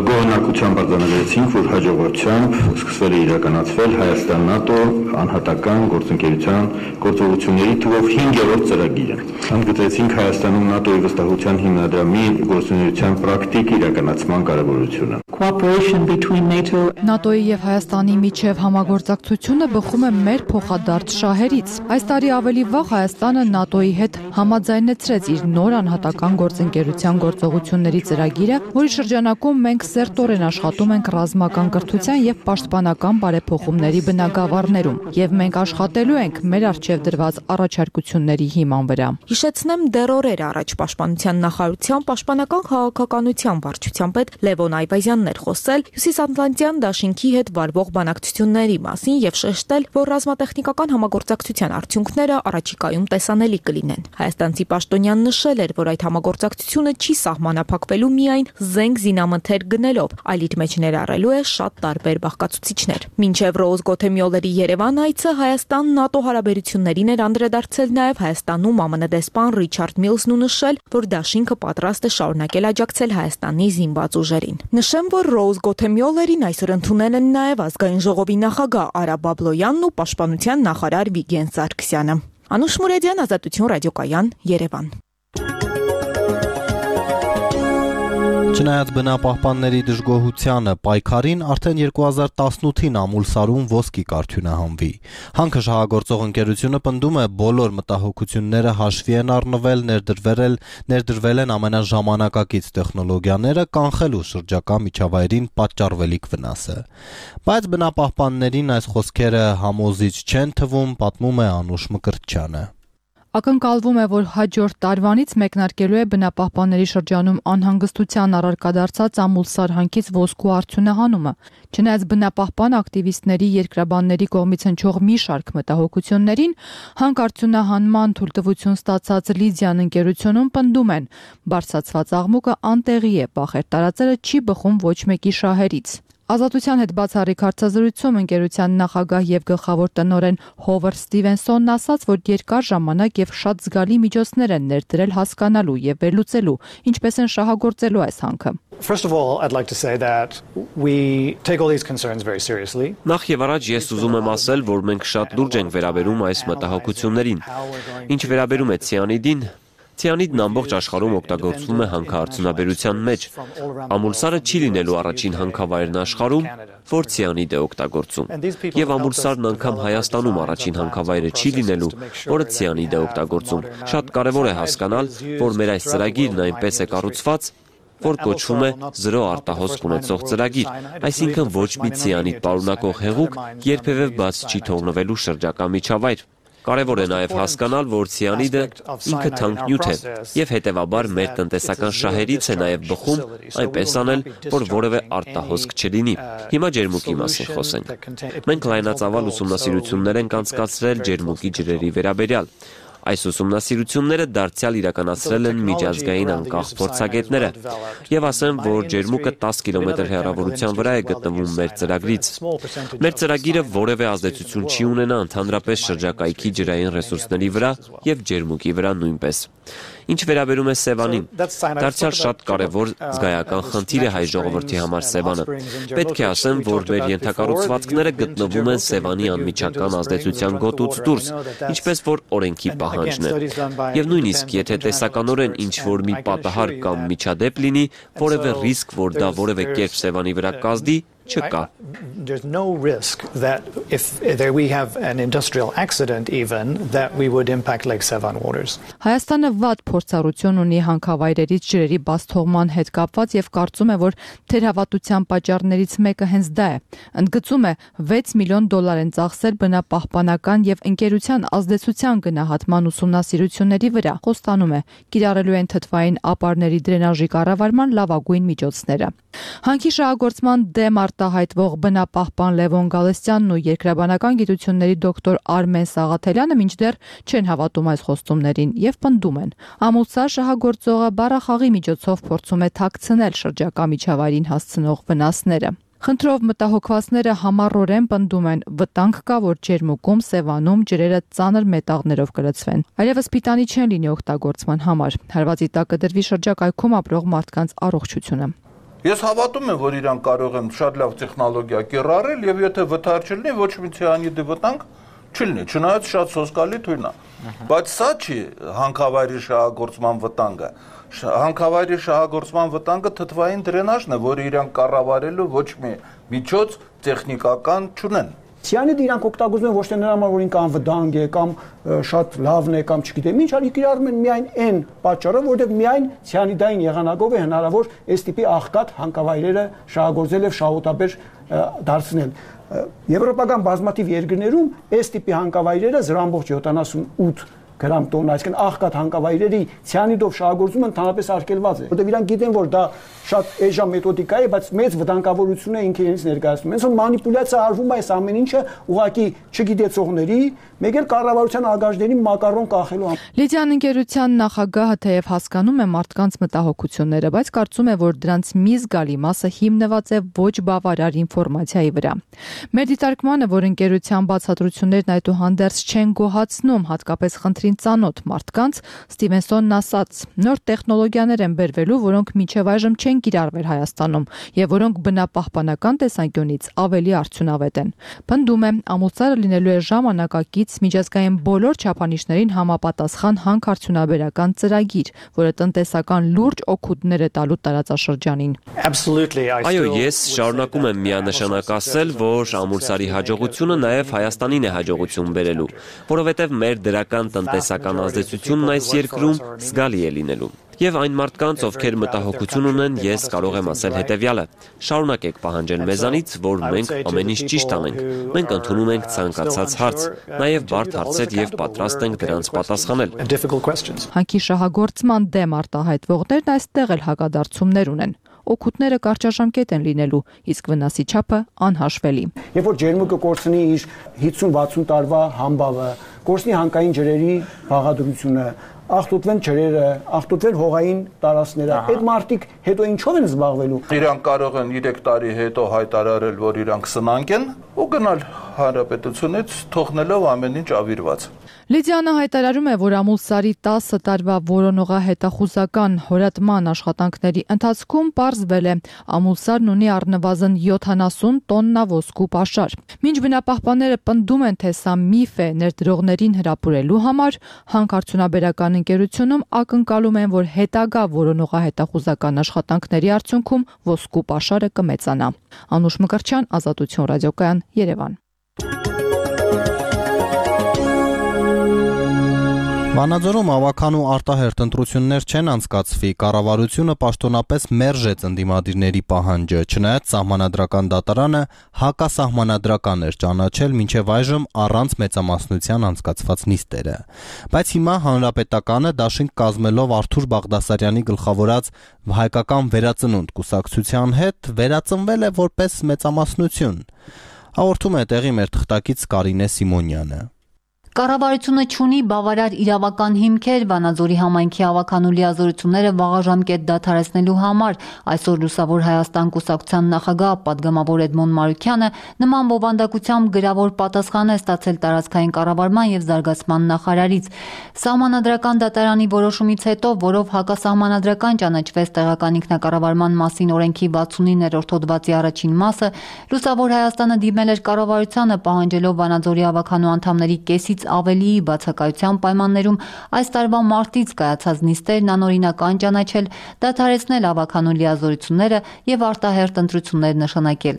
Գոհնակությամբ արձանագրեցինք, տեսանք, որ հաջողությամբ սկսվել է իրականացվել Հայաստան-ՆԱՏՕ անհատական գործընկերության գործողությունների թվով 5-րդ ծրագիրը։ Ընդգծեցինք Հայաստանում ՆԱՏՕ-ի վստահության հիմնադրամի գործունեության պրակտիկ իրականացման կարևորությունը։ ՆԱՏՕ-ի եւ Հայաստանի միջև համագործակցությունը բխում է մեր փոխադարձ շահերից։ Այս տարի ավելի վաղ Հայաստանը ՆԱՏՕ-ի հետ համաձայնեցրեց իր նոր անհատական գործընկերության գործողությունների ծրագիրը, որի շրջանակում մենք սերտորեն աշխատում ենք ռազմական կրթության եւ պաշտպանական բարեփոխումների բնագավառներում, եւ մենք աշխատելու ենք մեր առջեւ դրված առաջարկությունների հիման վրա։ Հիշեցնեմ, դեռ օրեր առաջ Պաշտպանության նախարարության պաշտպանական քաղաքականության վարչության պետ Լևոն Այվազյանն էր խոսել Հյուսիսատլանտյան դաշինքի հետ վարվող բանակցությունների մասին եւ շեշտել, որ ռազմատեխնիկական համագործակցության արդյունքները առաջիկայում տեսանելի կլինեն։ Հայաստանցի պաշտոնյան նշել էր, որ այդ համագործակցությունը չի սահմանափակվելու միայն զենք զինամթեր գնելով, այլ իր մեջ ներառելու է շատ տարբեր բաղկացուցիչներ։ Մինչև Ռոուզ Գոթեմյոլերի Երևան այցը Հայաստան-ՆԱՏՕ հարաբերություններին էր անդրադարձել նաև Հայաստանում ԱՄՆ դեսպան Ռիչարդ Միլսն ու նշել, որ դաշինքը պատրաստ է շարունակել աջակցել Հայաստանի զինված ուժերին։ Նշեմ, որ Ռոուզ Գոթեմյոլերին այսօր ընդունել են նաև ազգային ժողովի նախագահ Արա Բաբլոյանն ու պաշտպանության նախարար Վիգեն Սարգսյանը։ Անուշ Մուրեդյան, Ազատություն ռադիոկայան, Երևան։ Չնայած բնապահպանների դժգոհությանը պայքարին արդեն 2018-ին Ամուլսարում ոսկի կարգյունահանվի։ Հանքը շահագործող ընկերությունը պնդում է բոլոր մտահոգությունները հաշվի են առնվել, ներդրվել են ամենաժամանակակից տեխնոլոգիաները կանխելու շրջակա միջավայրին պատճառվելիք վնասը։ Բայց բնապահպաններին այս խոսքերը համոզիչ չեն թվում, պատմում է Անուշ Մկրտչյանը։ Ակնկալվում է, որ հաջորդ տարվանից մեկնարկելու է բնապահպանների շրջանում անհանգստության առարկա դարձած Ամուլսար հանքից ոսկու արդյունահանումը։ Չնայած բնապահպան ակտիվիստների երկրաբանների կողմից հնչող մի շարք մտահոգություններին, հանք արդյունահանման թույլտվություն ստացած Լիդիան ընկերությունում պնդում են, բարձրացված աղմուկը անտեղի է, բախեր տարածելը չի բխում ոչ մեկի շահերից։ Ազատության հետ բացառիկ հարցազրույցում ընկերության նախագահ եւ գլխավոր տնօրեն Հովարդ Ստիվենսոնն ասաց, որ երկար ժամանակ եւ շատ զգալի միջոցներ են ներդրել հասկանալու եւ վերլուծելու, ինչպես են շահագործելու այս հանքը։ First of all, I'd like to say that we take all these concerns very seriously. Նախ եւ առաջ ես ուզում եմ ասել, որ մենք շատ լուրջ ենք վերաբերում այս մտահոգություններին։ Ինչ վերաբերում է ցիանիդին, Ցիանիդն ամբողջ աշխարհում օգտագործվում է հանքարդյունաբերության մեջ։ Ամուլսարը չի լինելու առաջին հանքավայրն աշխարհում, որ ցիանիդ է օգտագործում։ Եվ Ամուլսարն անգամ Հայաստանում առաջին հանքավայրը չի լինելու, որը ցիանիդ է օգտագործում։ Շատ կարևոր է հասկանալ, որ մեր այս ծրագիրն այնպես է կառուցված, որ կոչվում է զրո արտահոսք ունեցող ծրագիր, այսինքն ոչ մի ցիանիդ պարունակող հեղուկ երբևէ բաց չի թողնվելու շրջակա միջավայր։ Կարևոր է նաև հասկանալ, որ ցիանիդը ինքը թանկ նյութ է եւ հետեւաբար մեր տնտեսական շահերից է նաև բխում այնպես անել, որ որևէ արտահոսք չլինի։ Հիմա ջերմուկի մասին խոսենք։ Մենք լայնածավալ ուսումնասիրություններ ենք անցկացրել ջերմուկի ջրերի վերաբերյալ։ Այս ուսումնասիրությունները դարձյալ իրականացրել են միջազգային անկախ փորձագետները եւ ասեմ, որ ջերմուկը 10 կիլոմետր հեռավորության վրա է գտնվում մեր ծրագրից։ Մեր ծրագիրը որևէ ազդեցություն չի ունենա ընդհանրապես շրջակայքի ջրային ռեսուրսների վրա եւ ջերմուկի վրա նույնպես։ Ինչ վերաբերում է Սևանին, դարձյալ շատ կարևոր զգայական խնդիր է հայ ժողովրդի համար Սևանը։ Պետք է ասեմ, որ մեր ենթակառուցվածքները գտնվում են Սևանի անմիջական ազդեցության գոտուց դուրս, ինչպես որ օրենքի պահանջն է։ Եվ նույնիսկ եթե տեսականորեն ինչ-որ մի պատահար կամ միջադեպ լինի, որևէ ռիսկ, որ դա որևէ կերպ Սևանի վրա կազդի, չկա։ There's no risk that if there we have an industrial accident even that we would impact Lake Sevan waters. Հայաստանը վատ փորձառություն ունի հանքավայրերից ջրերի բաց թողման հետ կապված եւ կարծում է, որ թերհավատության պատճառներից մեկը հենց դա է։ Ընդգծում է 6 միլիոն դոլար են ծախսել բնապահպանական եւ ընկերության ազդեցության գնահատման ուսումնասիրությունների վրա։ Խոստանում է, կիրառելու են թթվային ապարների դրենաժի կառավարման լավագույն միջոցները։ Հանքի շահագործման դեմ արտահայտվող բնապահպան Լևոն Գալստյանն ու երկրաբանական գիտությունների դոկտոր Արմեն Սաղաթելյանը մինչդեռ չեն հավատում այս խոստումներին եւ պնդում են. Ամուլսար շահագործողը բառախաղի միջոցով փորձում է թաքցնել շրջակա միջավայրին հասցնող վնասները։ Խնդրով մտահոգվածները համառորեն պնդում են, վտանգ կա, որ ջերմուկում, Սևանում ջրերը ծանր մետաղներով կլցվեն։ Այլևս պիտանի չեն լինի օգտագործման համար։ Հարվածի տակ կդրվի շրջակայքում ապրող մարդկանց առողջությունը։ Ես հավատում եմ, որ իրանք կարող են շատ լավ տեխնոլոգիա կիրառել եւ եթե վթար չլինի, ոչ մի ցիանիդի վտանգ չլինի, չնայած շատ սոսկալի թույն է։ Բայց սա չի հանքավայրի շահագործման վտանգը։ Հանքավայրի շահագործման վտանգը թթվային դրենաժն է, որը իրանք կառավարելու ոչ մի միջոց տեխնիկական չունեն։ Ցիանիդը իրանք օգտագործում են ոչ թե նրա համար, որ ինքը անվտանգ է կամ շատ լավն է կամ չգիտեմ ինչ, այլ կիրառում են միայն այն պատճառով, որովհետև միայն ցիանիդային եղանակով է հնարավոր այս տիպի աղքատ հանքավայրերը շահագործել եւ շահութաբեր դարձնել։ Եվրոպական բազմաթիվ երկրներում այս տիպի հանքավայրերը 0.78 գրամ տոննա, այսինքն աղքատ հանքավայրերի ցիանիդով շահագործումը ընդհանրապես արգելված է, որտեղ իրանք գիտեն, որ դա շատ էժան մեթոդիկա է, բայց մեծ վտանգավորություն է ինքը իրենից ներկայացնում։ Հենց որ մանիպուլյացիա արվում է այս ամեն ինչը ուղղակի չգիտեցողների, մեկ էլ կառավարության ագաժների մակարոն կախելու համար։ Լիդիան ընկերության նախագահը թեև հասկանում է մարդկանց մտահոգությունները, բայց կարծում է, որ դրանց մի զգալի մասը հիմնված է ոչ բավարար ինֆորմացիայի վրա։ Մեր դիտարկմանը, որ ընկերության բացատրություններն այդուհանդերձ չեն գոհացնում, հատկապես խնդրին ծանոթ մարդկանց, Ստիվենսոնն ասաց. նոր տեխնոլոգիաներ են բերվելու, որոնք մինչև այժմ չեն կիրառվել Հայաստանում եւ որոնք բնապահպանական տեսանկյունից ավելի արդյունավետ են։ Պնդում է, ամուսարը լինելու է ժամանակակից միջազգային բոլոր չափանիշներին համապատասխան հանքարդյունաբերական ծրագիր, որը տնտեսական լուրջ օգուտներ է տալու տարածաշրջանին։ Այո, ես շարունակում եմ միանշանակ ասել, որ ամուսարի հաջողությունը նաեւ Հայաստանին է հաջողություն բերելու, որովհետեւ մեր դրական տնտեսական ազդեցությունն այս երկրում զգալի է լինելու։ Եվ այն մարդկանց, ովքեր մտահոգություն ունեն, ես կարող եմ ասել հետևյալը. շարունակեք պահանջել մեզանից, որ մենք ամեն ինչ ճիշտ անենք։ Մենք ընդունում ենք ցանկացած հարց, նաև բարդ հարցեր եւ պատրաստ ենք դրանց պատասխանել։ Հանքի շահագործման դեմ արտահայտվողներն այստեղ էլ հակադարձումներ ունեն։ Օգուտները կարճաժամկետ են լինելու, իսկ վնասի չափը անհաշվելի։ Երբ որ ջերմուկը կորցնի իր 50-60 տարվա համբավը, կորցնի հանքային ջրերի բաղադրությունը, աղտոտվեն ջրերը, աղտոտվեն հողային տարածքները, այդ մարդիկ հետո ինչով են զբաղվելու։ Իրանք կարող են 3 տարի հետո հայտարարել, որ իրանք սնանկ են ու գնալ հանրապետությունից թողնելով ամեն ինչ ավիրված։ Լիդիանը հայտարարում է, որ ամուսարի 10 տարվա որոնողահետախուզական հորատման աշխատանքների ընթացքում պարզվել է, ամուսարն ունի առնվազն 70 տոննա ոսկու պաշար։ Մինչ բնապահպանները պնդում են, թե սա միֆ է ներդրողներին հրապուրելու համար, հանքարդյունաբերական ընկերությունում ակնկալում են, որ հետագա որոնողահետախուզական աշխատանքների արդյունքում ոսկու պաշարը կմեծանա։ Անուշ Մկրտչյան, Ազատություն ռադիոկայան, Երևան։ Վանաձորում ավականու արտահերթ ընտրություններ չեն անցկացվի, կառավարությունը պաշտոնապես մերժեց ընդդիմադիրների պահանջը, չնայած սահմանադրական դատարանը հակասահմանադրական էր ճանաչել մինչև այժմ առանց մեծամասնության անցկացված նիստերը։ Բայց հիմա Հանրապետականը դաշինք կազմելով Արթուր Բաղդասարյանի գլխավորած հայկական վերածնունդ կուսակցության հետ վերածնվել է որպես մեծամասնություն։ Հաղորդում է տեղի մեր թղթակից Կարինե Սիմոնյանը։ Կառավարությունը չունի բավարար իրավական հիմքեր Վանաձորի համայնքի ավականու լիազորությունները վաղաժամկետ դադարեցնելու համար, այսօր Լուսավոր Հայաստան կուսակցության նախագահ պատգամավոր Էդմոն Մարուկյանը նման բովանդակությամբ գրավոր պատասխան է ստացել տարածքային կառավարման եւ զարգացման նախարարից։ Սահմանադրական դատարանի որոշումից հետո, որով հակասահմանադրական ճանաչվեց տեղական ինքնակառավարման մասին օրենքի 69-րդ հոդվածի առաջին մասը, Լուսավոր Հայաստանը դիմել էր կառավարությանը պահանջելով Վանաձորի ավականու անդամների կեսից ավելի բացակայության պայմաններում այս տարվա մարտից կայացած նիստերն անօրինական ճանաչել, դադարեցնել ավականու լիազորությունները եւ արտահերթ ընտրություններ նշանակել։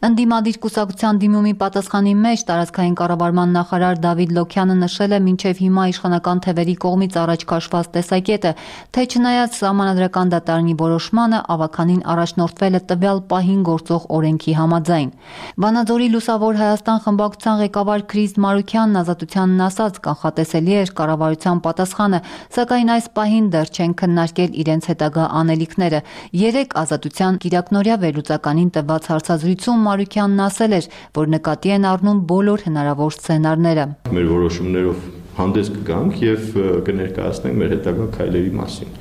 Ընդդիմադիր կուսակցության դիմումի պատասխանի մեջ տարածքային կառավարման նախարար Դավիթ Լոքյանը նշել է մինչև հիմա իշխանական թևերի կողմից առաջ քաշված տեսակետը, թե չնայած սահմանադրական դատարանի որոշմանը ավականին առաջնորդվել է տվյալ պահին գործող օրենքի համաձայն։ Վանաձորի Լուսավոր Հայաստան խմբակցության ղեկավար Քրիստ Մարուկյանն Ազատության ասաց, կանխատեսելի էր կառավարության պատասխանը, սակայն այս պահին դեռ չեն քննարկել իրենց հետագա անելիքները։ 3 Ազատության կիրակնօրյա վերլուծականին տված հարցազրույցում Մարուկյանն ասել էր, որ նկատի են առնում բոլոր հնարավոր սցենարները։ Մեր որոշումներով հանդես կգանք եւ կներկայացնենք մեր հետագա քայլերի մասին,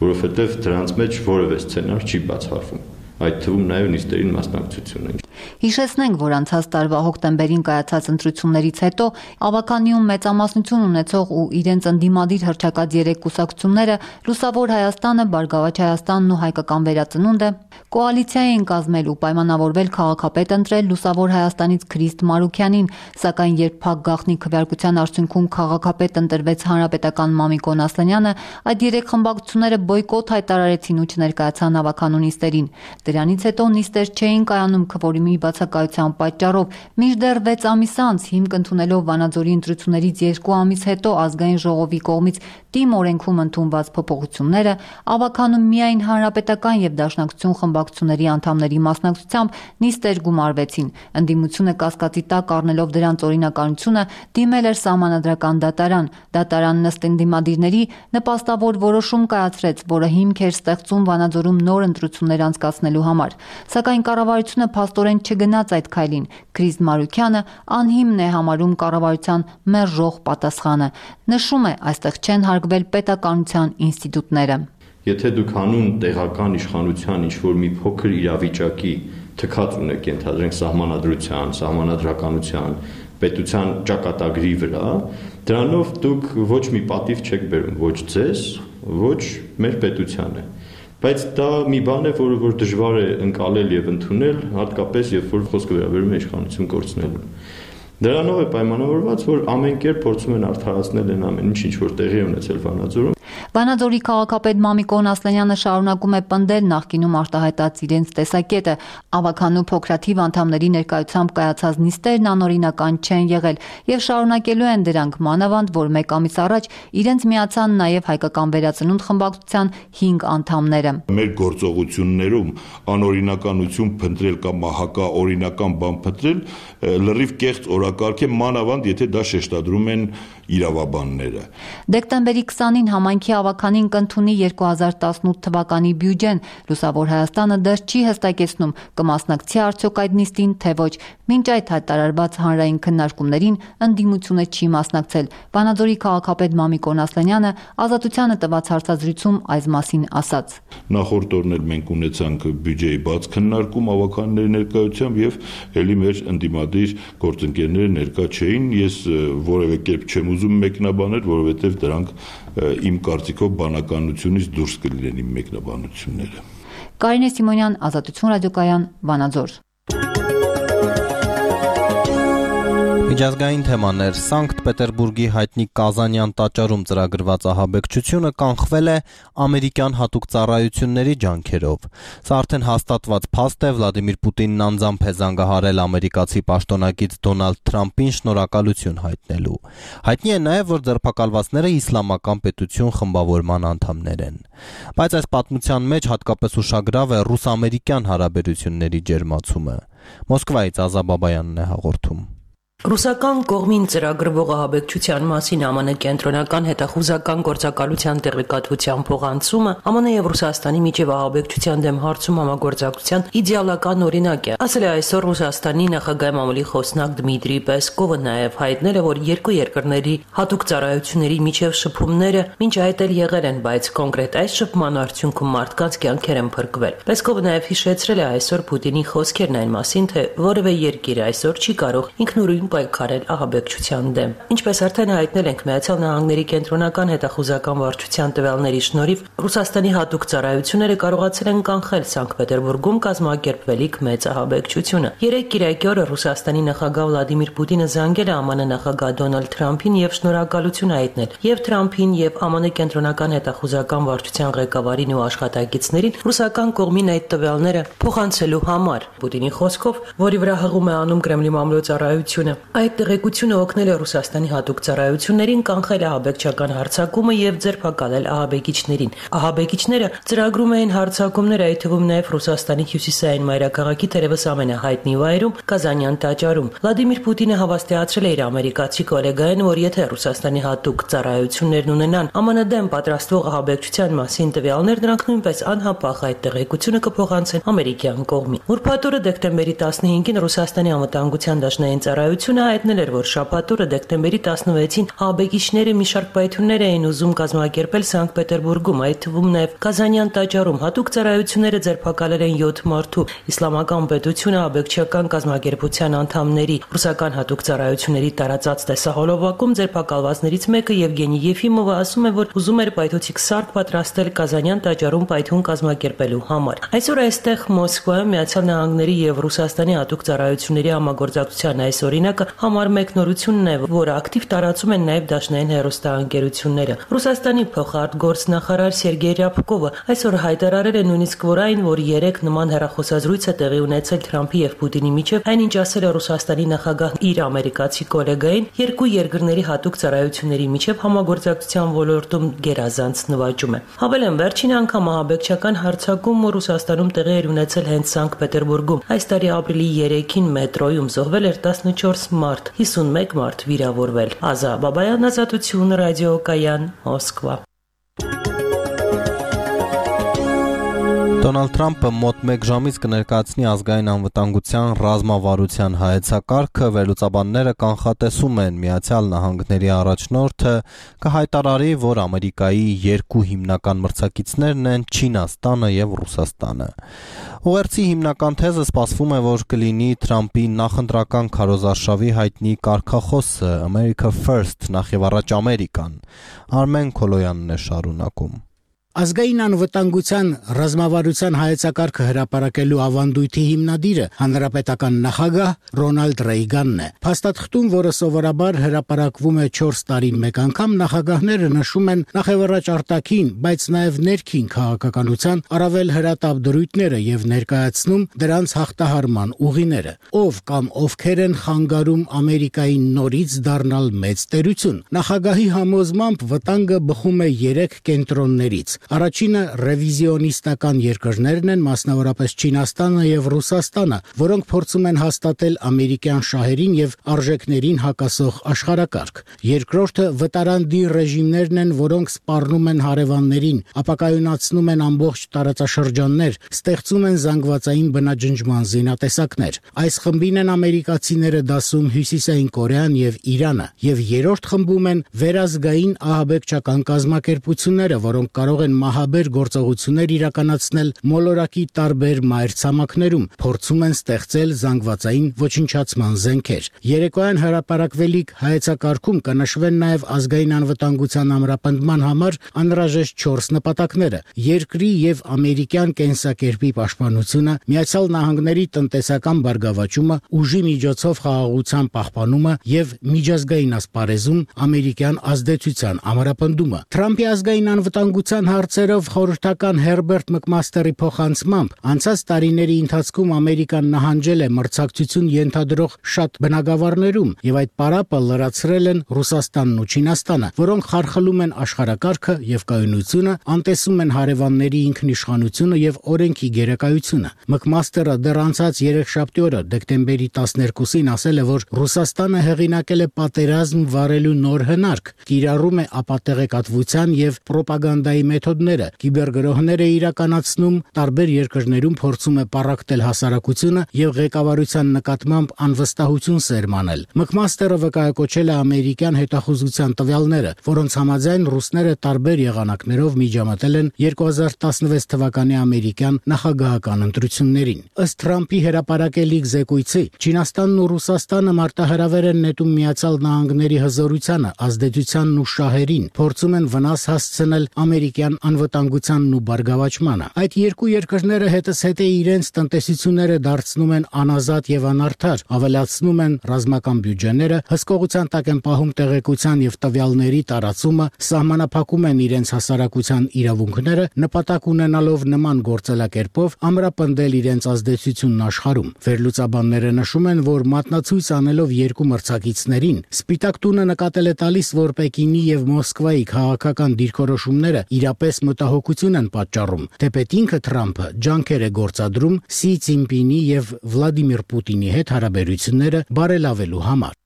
որովհետեւ դրանց մեջ որևէ սցենար չի բացառվում։ այդ թվում նաև նիստերին մասնակցությունը։ Հիշեցնենք, որ անցած տարվա հոկտեմբերին կայացած ընտրություններից հետո Ավականիում մեծամասնություն ունեցող ու իրենց ընդդիմադիր հռչակած 3 կուսակցությունները Լուսավոր Հայաստանը, Բարգավաճ Հայաստանն ու Հայկական վերածնունդը կոալիցիա էին կազմել ու պայմանավորվել քաղաքապետ ընտրել Լուսավոր Հայաստանից Քրիստ Մարուքյանին, սակայն երբ փակ գաղտնի քվեարկության արդյունքում քաղաքապետ ընտրվեց Հանրապետական Մամիկոն Ասլանյանը, այդ 3 խմբակցությունները բոյկոտ հայտարարեցին ու չներկայացան Ավականու նիստերին։ Դրանից հետո նիստեր չէին կայանում քվորումի բացակայության պատճառով, մինչդեռ 6 ամիս անց հիմք ընդունելով Վանաձորի ընտրություններից 2 ամիս հետո ազգային ժողովի կողմից ՏԻՄ օրենքում ընդունված փոփոխությունները Ավականում միայն Հանրապետական եւ Դաշնակցություն խմբակցությունների անդամների մասնակցությամբ նիստեր գումարվեցին։ Ընդդիմությունը կասկածի տակ առնելով դրանց օրինականությունը դիմել էր սահմանադրական դատարան։ Դատարանն ըստ ընդդիմադիրների նպաստավոր որոշում կայացրեց, որը հիմք էր ստեղծում Վանաձորում նոր ընտրություններ անցկացնելու համար։ Սակայն կառավարությունը փաստորեն չգնաց այդ քայլին։ Քրիստ Մարուքյանը անհիմն է համարում կառավարության մերժող պատասխանը։ Նշում է, այստեղ չեն հարգվել պետականության ինստիտուտները։ Եթե դուք հանուն տեղական իշխանության ինչ-որ մի փոքր իրավիճակի թքած ունեք, ենթադրենք սահմանադրության, սահմանադրականության, պետության ճակատագրի վրա, դրանով դուք ոչ մի պատիվ չեք բերում, ոչ ձեզ, ոչ մեր պետությանը։ Բայց դա մի բան է, որը որ դժվար է ընկալել եւ ընդունել, հատկապես երբ որ խոսքը վերաբերում է իշխանություն կորցնելուն։ Դրանով է պայմանավորված, որ ամեն կերպ փորձում են արդարացնել այն ամեն ինչ որ տեղի է ունեցել Վանաձորում։ Վանաձորի քաղաքապետ Մամիկոն Ասլանյանը շարունակում է պնդել նախկինում արտահայտած իրենց տեսակետը։ Ավականու փոքրաթիվ անդամների ներկայությամբ կայացած նիստերն անօրինական չեն եղել եւ շարունակելու են դրանք, մանավանդ որ 1 ամիս առաջ իրենց միացան նաեւ Հայկական վերածնունդ խմբակցության 5 անդամները։ Մեր գործողություններում անօրինականություն փնտրել կամ հակաօրինական բան փնտրել լրիվ կեղծ օրակարգ է, մանավանդ եթե դա շեշտադրում են իրավաբանները։ Դեկտեմբերի 20-ին համայնքի ավականին կընդունի 2018 թվականի բյուջեն։ Լուսավոր Հայաստանը դեռ չի հստակեցնում կմասնակցի արդյոք այդ նիստին, թե ոչ։ Մինչ այդ հայտարարված հանրային քննարկումներին ընդդիմությունը չի մասնակցել։ Վանաձորի քաղաքապետ Մամիկոն Ասլանյանը Ազատությանը տված հարցազրույցում այս մասին ասաց. Նախորդ օրն էլ մենք ունեցանք բյուջեի բաց քննարկում ավականների ներկայությամբ եւ ելի մեր ընդդիմադիր գործընկերները ներկա չէին։ Ես որևէ կերպ չեմ ուզում մեկնաբանել, որովհետեւ դրանք իմ կարծիքով բանականությունից դուրս կլինեն իմ մեկնաբանությունները։ Կարինե Սիմոնյան, Ազատություն ռադիոկայան, Վանաձոր։ Միջազգային թեմաներ Սանկտ Պետերբուրգի հայտնի Կազանյան տաճարում ծրագրված ահաբեկչությունը կանխվել է ամերիկյան հատուկ ծառայությունների ջանքերով։ Սա արդեն հաստատված փաստ է, Վլադիմիր Պուտինն անձամբ է զանգահարել ամերիկացի պաշտոնակից Դոնալդ Թրամփին շնորհակալություն հայտնելու։ Հայտնի է նաև, որ ձերբակալվածները իսլամական պետություն խմբավորման անդամներ են։ Բայց այս պատմության մեջ հատկապես ուշագրավ է ռուս-ամերիկյան հարաբերությունների ջերմացումը։ Մոսկվայից Ազա Բաբայանն է հաղորդում։ Ռուսական կողմին ծրագրվող ահաբեկչության մասին ԱՄՆ կենտրոնական հետախուզական գործակալության տեղեկատվության փոխանցումը ԱՄՆ եւ Ռուսաստանի միջև ահաբեկչության դեմ հարցում համագործակցության իդեալական օրինակ է, ասել է այսօր Ռուսաստանի նախագահի մամուլի խոսնակ Դմիտրի Պեսկովը, նաև հայտնել է, որ երկու երկրների հատուկ ծառայությունների միջև շփումները մինչ այդ էլ եղել են, բայց կոնկրետ այս շփման արդյունքում մարդկանց կյանքեր են փրկվել։ Պեսկովը նաև հիշեցրել է այսօր Պուտինի խոսքերն այն մասին, թե որևէ երկիր այսօր չի կարող ինքնուրույն պայքարել ահաբեկչության դեմ։ Ինչպես արդեն հայտնել ենք, Միացյալ Նահանգների կենտրոնական հետախուզական վարչության տվյալների շնորհիվ Ռուսաստանի հատուկ ծառայությունները կարողացել են կանխել Սանկտ Պետերբուրգում կազմակերպվելիք մեծ ահաբեկչությունը։ Երեկ կիրակի օրը Ռուսաստանի նախագահ Վլադիմիր Պուտինը զանգել է ԱՄՆ նախագահ Դոնալդ Թրամփին եւ շնորհակալություն հայտնել եւ Թրամփին եւ ԱՄՆ կենտրոնական հետախուզական վարչության ղեկավարին ու աշխատակիցներին ռուսական կողմին այդ տվյալները փոխանցելու համար։ Պուտինի խոսքով, որի վրա հղում է անում Կրեմլի մամլոյցարայությունը, այդ տեղեկությունը օգնել է Ռուսաստանի հատուկ ծառայություններին կանխել ահաբեկչական հարձակումը եւ ձերբակալել ահաբեկիչներին։ Ահաբեկիչները ծրագրում էին հարձակումներ, այդ թվում նաեւ Ռուսաստանի հյուսիսային մայրաքաղաքի թերևս ամենահայտնի վայրում Կազանյան տաճարում։ Վլադիմիր Պուտինը հավաստիացրել է իր ամերիկացի գոլեգային, որ եթե Ռուսաստանի հատուկ ծառայություններն ունենան ԱՄՆ դեմ պատրաստվող ահաբեկչության մասին տվյալներ, նրանք նույնպես անհապաղ այդ տեղեկությունը կփոխանցեն ամերիկյան կողմին։ Ուրբաթ օրը դեկտեմբերի 15-ին Ռուսաստանի անվտանգության դաշնային ծառայությունը Պետությունը հայտնել էր, որ շաբաթ օրը դեկտեմբերի 16-ին ահաբեկիչները մի շարք պայթյուններ էին ուզում կազմակերպել Սանկտ Պետերբուրգում, այդ թվում նաև Կազանյան տաճարում։ Հատուկ ծառայությունները ձերբակալել են 7 մարդու։ Իսլամական պետությունը ահաբեկչական կազմակերպության անդամների ռուսական հատուկ ծառայությունների տարածած տեսահոլովակում ձերբակալվածներից մեկը Եվգենի Եֆիմովը ասում է, որ ուզում էր պայթուցիկ սարք պատրաստել Կազանյան տաճարում պայթյուն կազմակերպելու համար։ Այսօր այստեղ Մոսկվայում Միացյալ Նահանգների եւ Ռուսաստանի հատուկ ծառայությունների համագործակցության այս օրինակը համար մեկ նորությունն է, որը ակտիվ տարածում են նաև դաշնային հեռուստաընկերությունները։ Ռուսաստանի փոխարտգործնախարար Սերգեյ Ռյաբկովը այսօր հայտարարել է նույնիսկ որ այն, որ երեք նման հեռախոսազրույց է տեղի ունեցել Թրամփի եւ Պուտինի միջև, այնինչ ասել է Ռուսաստանի նախագահ իր ամերիկացի գոլեգային, երկու երկրների հատուկ ծառայությունների միջև համագործակցության ոլորտում գերազանց նվաճում է։ Հավելեմ, վերջին անգամ ահաբեկչական հարձակում Ռուսաստանում տեղի էր ունեցել հենց Սանկտ Պետերբուրգում։ Այս տարի ապրիլի 3-ին մետրոյում զոհվել էր 14 մարդ, 51 մարդ վիրավորվել։ Ազա Բաբայան, Ազատություն, ռադիոկայան, Մոսկվա։ Դոնալդ Թրամփը մոտ 1 ժամից կներկայացնի ազգային անվտանգության ռազմավարության հայեցակարգը, վերլուծաբանները կանխատեսում են Միացյալ Նահանգների առաջնորդը կհայտարարի, որ Ամերիկայի երկու հիմնական մրցակիցներն են Չինաստանը եւ Ռուսաստանը։ Ուղերձի հիմնական թեզը սպասվում է, որ կլինի Թրամփի նախընտրական քարոզարշավի հայտնի կարգախոսը America First, նախևառաջ Ամերիկան։ Արմեն Քոլոյանն է շարունակում։ Ազգային անվտանգության ռազմավարության հայեցակարգը հրապարակելու ավանդույթի հիմնադիրը հանրապետական նախագահ Ռոնալդ Ռեյգանն է։ Փաստաթղթում, որը սովորաբար հրապարակվում է 4 տարին մեկ անգամ, նախագահները նշում են նախևառաջ արտաքին, բայց նաև ներքին քաղաքականության առավել հրատապ դրույթները եւ ներկայացնում դրանց հաղթահարման ուղիները։ Ով կամ ովքեր են խանգարում Ամերիկային նորից դառնալ մեծ տերություն։ Նախագահի համոզմամբ վտանգը բխում է 3 կենտրոններից։ Առաջինը ռևիզիոնիստական երկրներն են, մասնավորապես Չինաստանը եւ Ռուսաստանը, որոնք փորձում են հաստատել ամերիկյան շահերին եւ արժեքներին հակասող աշխարհակարգ։ Երկրորդը վտարանդի ռեժիմներն են, որոնք սպառնում են հարևաններին, ապակայունացնում են ամբողջ տարածաշրջաններ, ստեղծում են զանգվածային բնաջնջման զինատեսակներ։ Այս խմբին են ամերիկացիները դասում Հյուսիսային Կորեան եւ Իրանը, եւ երրորդ խմբում են վերազգային ահաբեկչական կազմակերպությունները, որոնք կարող են մահաբեր գործողություններ իրականացնել մոլորակի տարբեր մայրցամաքներում, փորձում են ստեղծել զանգվածային ոչնչացման զենքեր։ Երեկոյան հրապարակվելիք հայեցակարգում կնշվեն նաև ազգային անվտանգության ամրապնդման համար անհրաժեշտ 4 նպատակները՝ երկրի եւ ամերիկյան կենսակերպի պաշտպանությունը, Միացյալ Նահանգների տնտեսական բարգավաճումը, ուժի միջոցով խաղաղության пахпанումը եւ միջազգային ասպարեզում ամերիկյան ազդեցության ամրապնդումը։ Թրամփի ազգային անվտանգության հարցերով խորհրդական Հերբերտ Մկմաստերի փոխանցմամբ անցած տարիների ընթացքում Ամերիկան նահանջել է մրցակցություն ենթադրող շատ բնագավառներում եւ այդ պարապը լրացրել են Ռուսաստանն ու Չինաստանը, որոնք խարխլում են աշխարհակարգը եւ կայունությունը, անտեսում են հարևանների ինքնիշխանությունը եւ օրենքի գերակայությունը։ Մկմաստերը դեռ անցած 3-շաբթի օրը դեկտեմբերի 12-ին ասել է, որ Ռուսաստանը հեղինակել է պատերազմ վարելու նոր հնարք, կիրառում է ապատեղեկատվության եւ պրոպագանդայի մեթոդները, կիբերգրոհներ է իրականացնում, տարբեր երկրներում փորձում է պառակտել հասարակությունը եւ ղեկավարության նկատմամբ անվստահություն սերմանել։ Մկմաստերը վկայակոչել է ամերիկյան հետախուզության տվյալները, որոնց համաձայն ռուսները տարբեր եղանակներով միջամտել են 2016 թվականի ամերիկյան նախագահական ընտրություններին։ Ըստ Թրամփի հրապարակելիք զեկույցի, Չինաստանն ու Ռուսաստանը մարտահրավեր են նետում Միացյալ Նահանգների հզորությանը, ազդեցությանն ու շահերին, փորձում են վնաս հասցնել ամերիկյան անվտանգությանն ու բարգավաճմանը։ Այդ երկու երկրները հետզհետե իրենց տնտեսությունները դարձնում են անազատ եւ անարդար, ավելացնում են ռազմական բյուջեները, հսկողության տակ են պահում տեղեկության եւ տվյալների տարածումը, սահմանափակում են իրենց հասարակության իրավունքները, նպատակ ունենալով նման գործելակերպով ամրապնդել իրենց ազդեցությունն աշխարհում։ Վերլուծաբանները նշում են, որ մատնացույց անելով երկու մրցակիցներին, Սպիտակ տունը նկատել է տալիս, որ Պեկինի եւ Մոսկվայի քաղաքական դիրքորոշումները իրապես մտահոգություն են պատճառում, թեպետ ինքը Թրամփը ջանքեր է գործադրում Սի Ցինպինի եւ Վլադիմիր Պուտինի հետ հարաբերությունները բարելավելու համար։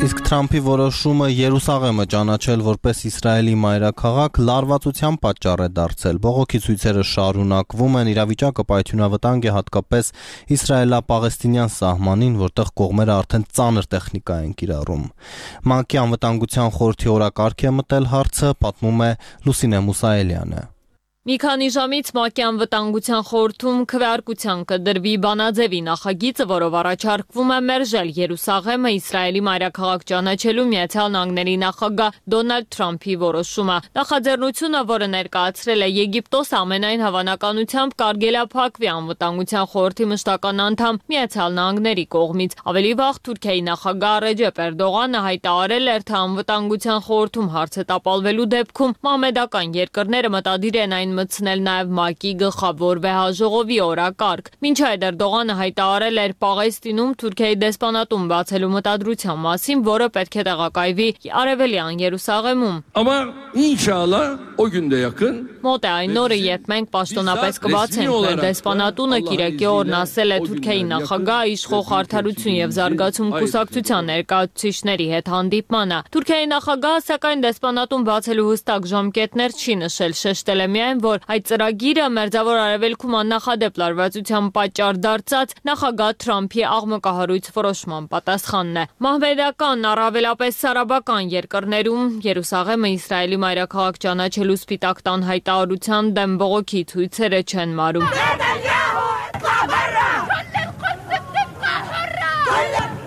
Իսկ Թրամփի որոշումը Երուսաղեմը ճանաչել որպես Իսրայելի մայրաքաղաք լարվածության պատճառ է դարձել։ Բողոքի ցույցերը շարունակվում են, իրավիճակը պայթյունավտանգ է հատկապես իսրայելա-պաղեստինյան սահմանին, որտեղ կողմերը արդեն ծանր տեխնիկա են կիրառում։ ՄԱԿ-ի անվտանգության խորհրդի օրակարգ է մտել հարցը, պատմում է Լուսինե Մուսայելյանը։ Մի քանի ժամից ՄԱԿ-ի անվտանգության խորհրդում քվեարկության կդրվի բանաձևի նախագիծը, որով առաջարկվում է մերժել Երուսաղեմը Իսրայելի մայրաքաղաք ճանաչելու Միացյալ Նահանգների նախագահ Դոնալդ Թրամփի որոշումը։ Նախաձեռնությունը, որը ներկայացրել է Եգիպտոսը, ամենայն հավանականությամբ կարգելափակվի անվտանգության խորհրդի մշտական անդամ Միացյալ Նահանգների կողմից։ Ավելի վաղ Թուրքիայի նախագահ Ռեջեփ Էրդողանը հայտարարել էր, թե անվտանգության խորհրդում հարցը տապալվելու դեպքում մահմեդական երկրները մտադիր են այն մտցնել նաև ՄԱԿ-ի գլխավոր վեհաժողովի օրակարգ։ Մինչ այդ Էրդողանը հայտարարել էր Պաղեստինում Թուրքիայի դեսպանատուն բացելու մտադրության մասին, որը պետք է տեղակայվի Արևելյան Երուսաղեմում։ Ama inşallah o günde yakın Մոտ է այն օրը, երբ մենք պաշտոնապես կբացենք մեր դեսպանատունը, Կիրակի օրն ասել է Թուրքիայի նախագահ իշխող արդարություն եւ զարգացում կուսակցության ներկայացուցիչների հետ հանդիպմանը։ Թուրքիայի նախագահը սակայն դեսպանատուն բացելու հստակ ժամկետներ չի նշել, շեշտել է միայն, որ այդ ծրագիրը Մերձավոր Արևելքում աննախադեպ լարվածության պատճառ դարձած նախագահ Թրամփի աղմկահարույց որոշման պատասխանն է։ Մահմեդական, առավելապես արաբական երկրներում Երուսաղեմը Իսրայելի մայրաքաղաք ճանաչելու սպիտակ տան հայտարարության դեմ բողոքի ցույցերը չեն մարում։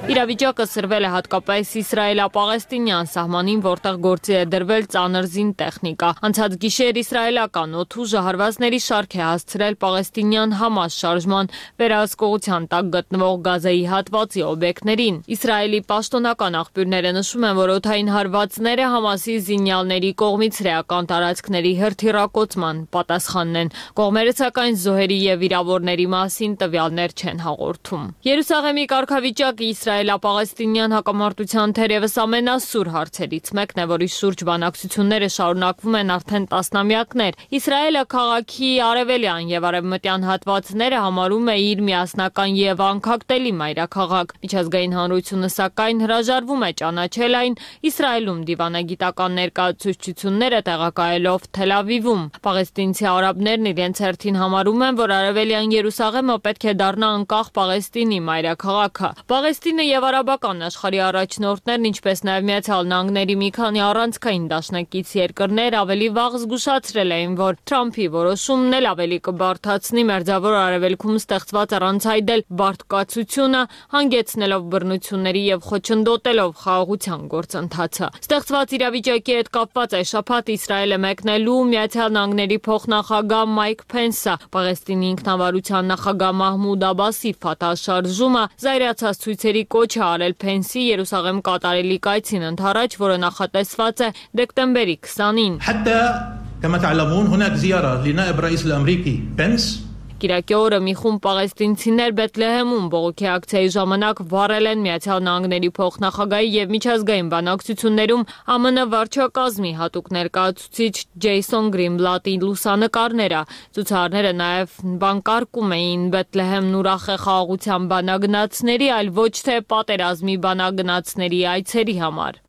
Իրավիճակը սրվել է հատկապես իսրայելա-պաղեստինյան սահմանին, որտեղ գործի է դրվել ծանր զին տեխնիկա։ Անցած գիշեր իսրայելական օդուժը հարվածների շարք է հասցրել պաղեստինյան Համաս շարժման վերահսկողության տակ գտնվող Գազայի հատվածի օբյեկտներին։ Իսրայելի պաշտոնական աղբյուրները նշում են, որ օդային հարվածները Համասի զինյալների կողմից հրեական տարածքների հրթիռակոծման պատասխանն են։ Կողմերը սակայն զոհերի եւ վիրավորների մասին տվյալներ չեն հաղորդում։ Երուսաղեմի կարգավիճակը իսրայելա-պաղեստինյան հակամարտության թերևս ամենասուր հարցերից մեկն է, որի շուրջ բանակցությունները շարունակվում են արդեն տասնամյակներ։ Իսրայելը քաղաքի արևելյան եւ արևմտյան հատվածները համարում է իր միասնական եւ անկախտելի մայրաքաղաք։ Միջազգային հանրությունը սակայն հրաժարվում է ճանաչել այն, Իսրայելում դիվանագիտական ներկայացուցչությունները տեղակայելով Թել Ավիվում։ Պաղեստինցի արաբներն իրենց հերթին համարում են, որ արևելյան Երուսաղեմը պետք է դառնա անկախ Պաղեստինի մայրաքաղաքը։ Պաղեստինը եւ արաբական աշխարհի առաջնորդներն, ինչպես նաեւ Միացյալ Նահանգների մի քանի առանցքային դաշնակից երկրներ ավելի վաղ զգուշացրել էին, որ Թրամփի որոշումն էլ ավելի կբարդացնի Մերձավոր Արևելքում ստեղծված առանցայդել բարդկացությունը, հանգեցնելով բռնությունների եւ խոչընդոտելով խաղաղության գործընթացը։ Ստեղծված իրավիճակի հետ կապված այս շաբաթ Իսրայելը մեկնելու Միացյալ Նահանգների փոխնախագահ Մայք Փենսը Պաղեստինի ինքնավարության նախագահ Մահմուդ Աբասի Ֆաթահ շարժումը զայրացած ցույցերի կոչ է արել Փենսի Երուսաղեմ կատարելի կայցին ընդառաջ, որը նախատեսված է դեկտեմբերի 20-ին։ كما تعلمون هناك زيارة لنائب الرئيس الأمريكي بنس Կիրակի օրը մի խումբ պաղեստինցիներ Բեթլեհեմում բողոքի ակցիայի ժամանակ վառել են Միացյալ Նահանգների փոխնախագահի եւ միջազգային բանակցություններում ԱՄՆ վարչակազմի հատուկ ներկայացուցիչ Ջեյսոն Գրինբլատի լուսանկարները։ Ցուցարարները նաեւ բանկարկում էին Բեթլեհեմն ուրախ է խաղաղության բանագնացների, այլ ոչ թե պատերազմի բանագնացների այցերի համար։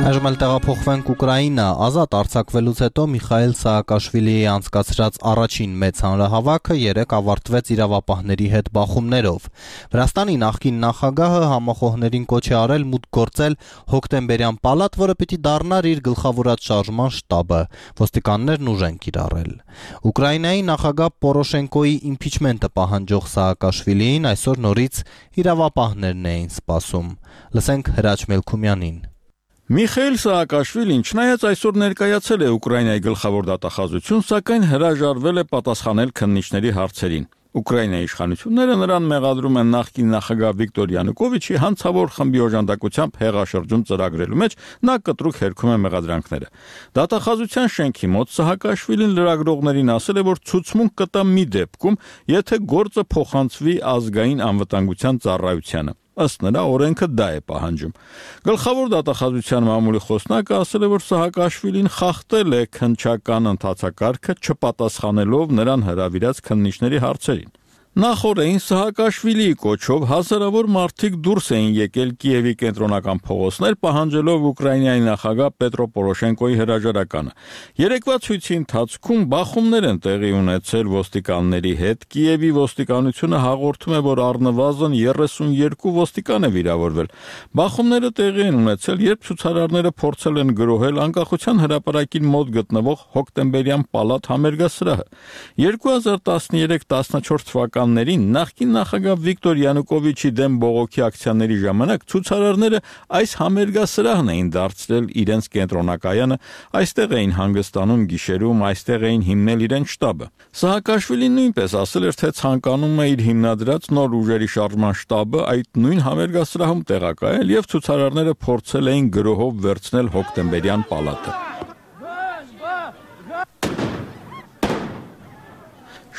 Այժմ էլ տեղափոխվենք Ուկրաինա, ազատ արձակվելուց հետո Միխայիլ Սաակաշվիլիի անցկացրած առաջին մեծ հանրահավաքը երեկ ավարտվեց իրավապահների հետ բախումներով։ Վրաստանի նախկին նախագահը համախոհներին կոչ է արել մուտք գործել հոկտեմբերյան պալատ, որը պիտի դառնար իր գլխավորած շարժման շտաբը։ Ոստիկաններն ուժ են կիրառել։ Ուկրաինայի նախագահ Պորոշենկոյի իմպիչմենտը պահանջող Սաակաշվիլիին այսօր նորից իրավապահներն էին սպասում։ Լսենք Հրաչ Մելքումյանին։ Միխայիլ Սաակաշվիլին չնայած այսօր ներկայացել է Ուկրաինայի գլխավոր դատախազություն, սակայն հրաժարվել է պատասխանել քննիչների հարցերին։ Ուկրաինայի իշխանությունները նրան մեղադրում են նախկին նախագահ Վիկտոր Յանուկովիչի հանցավոր խմբի օժանդակությամբ հեղաշրջում ծրագրելու մեջ, նա կտրուկ հերքում է մեղադրանքները։ Դատախազության շենքի մոտ Սաակաշվիլին լրագրողներին ասել է, որ ցուցմունք կտա մի դեպքում, եթե գործը փոխանցվի ազգային անվտանգության ծառայությանը։ Ըստ նրա օրենքը դա է պահանջում։ Գլխավոր դատախազության մամուլի խոսնակը ասել է, որ Սաակաշվիլին խախտել է քննչական ընթացակարգը չպատասխանելով նրան հրավիրած քննիչների հարցերին։ Նախորդին Սահակաշվիլիի կոչով հազարավոր մարդիկ դուրս էին եկել Կիևի կենտրոնական փողոցներ, պահանջելով Ուկրաինայի նախագահ Պետրո Պորոշենկոյի հրաժարականը։ Երեկվա ցույցի ընթացքում բախումներ են տեղի ունեցել ոստիկանների հետ։ Կիևի ոստիկանությունը հաղորդում է, որ առնվազն 32 ոստիկան է վիրավորվել։ Բախումները տեղի են ունեցել, երբ ցուցարարները փորձել են գրոհել Անկախության հրապարակին մոտ գտնվող Հոկտեմբերյան պալատ համերգասրահը։ 2013-14 թվականներին նախկին նախագահ Վիկտոր Յանուկովիչի դեմ բողոքի ակցիաների ժամանակ ցուցարարները այս համերգասրահն էին դարձրել իրենց կենտրոնակայանը, այստեղ էին հանգստանում գիշերում, այստեղ էին հիմնել իրենց շտաբը։ Սահակաշվիլին նույնպես ասել էր, թե ցանկանում է իր հիմնադրած նոր ուժերի շարժման շտաբը այդ նույն համերգասրահում տեղակայել եւ ցուցարարները փորձել էին գրոհով վերցնել Հոկտեմբերյան պալատը։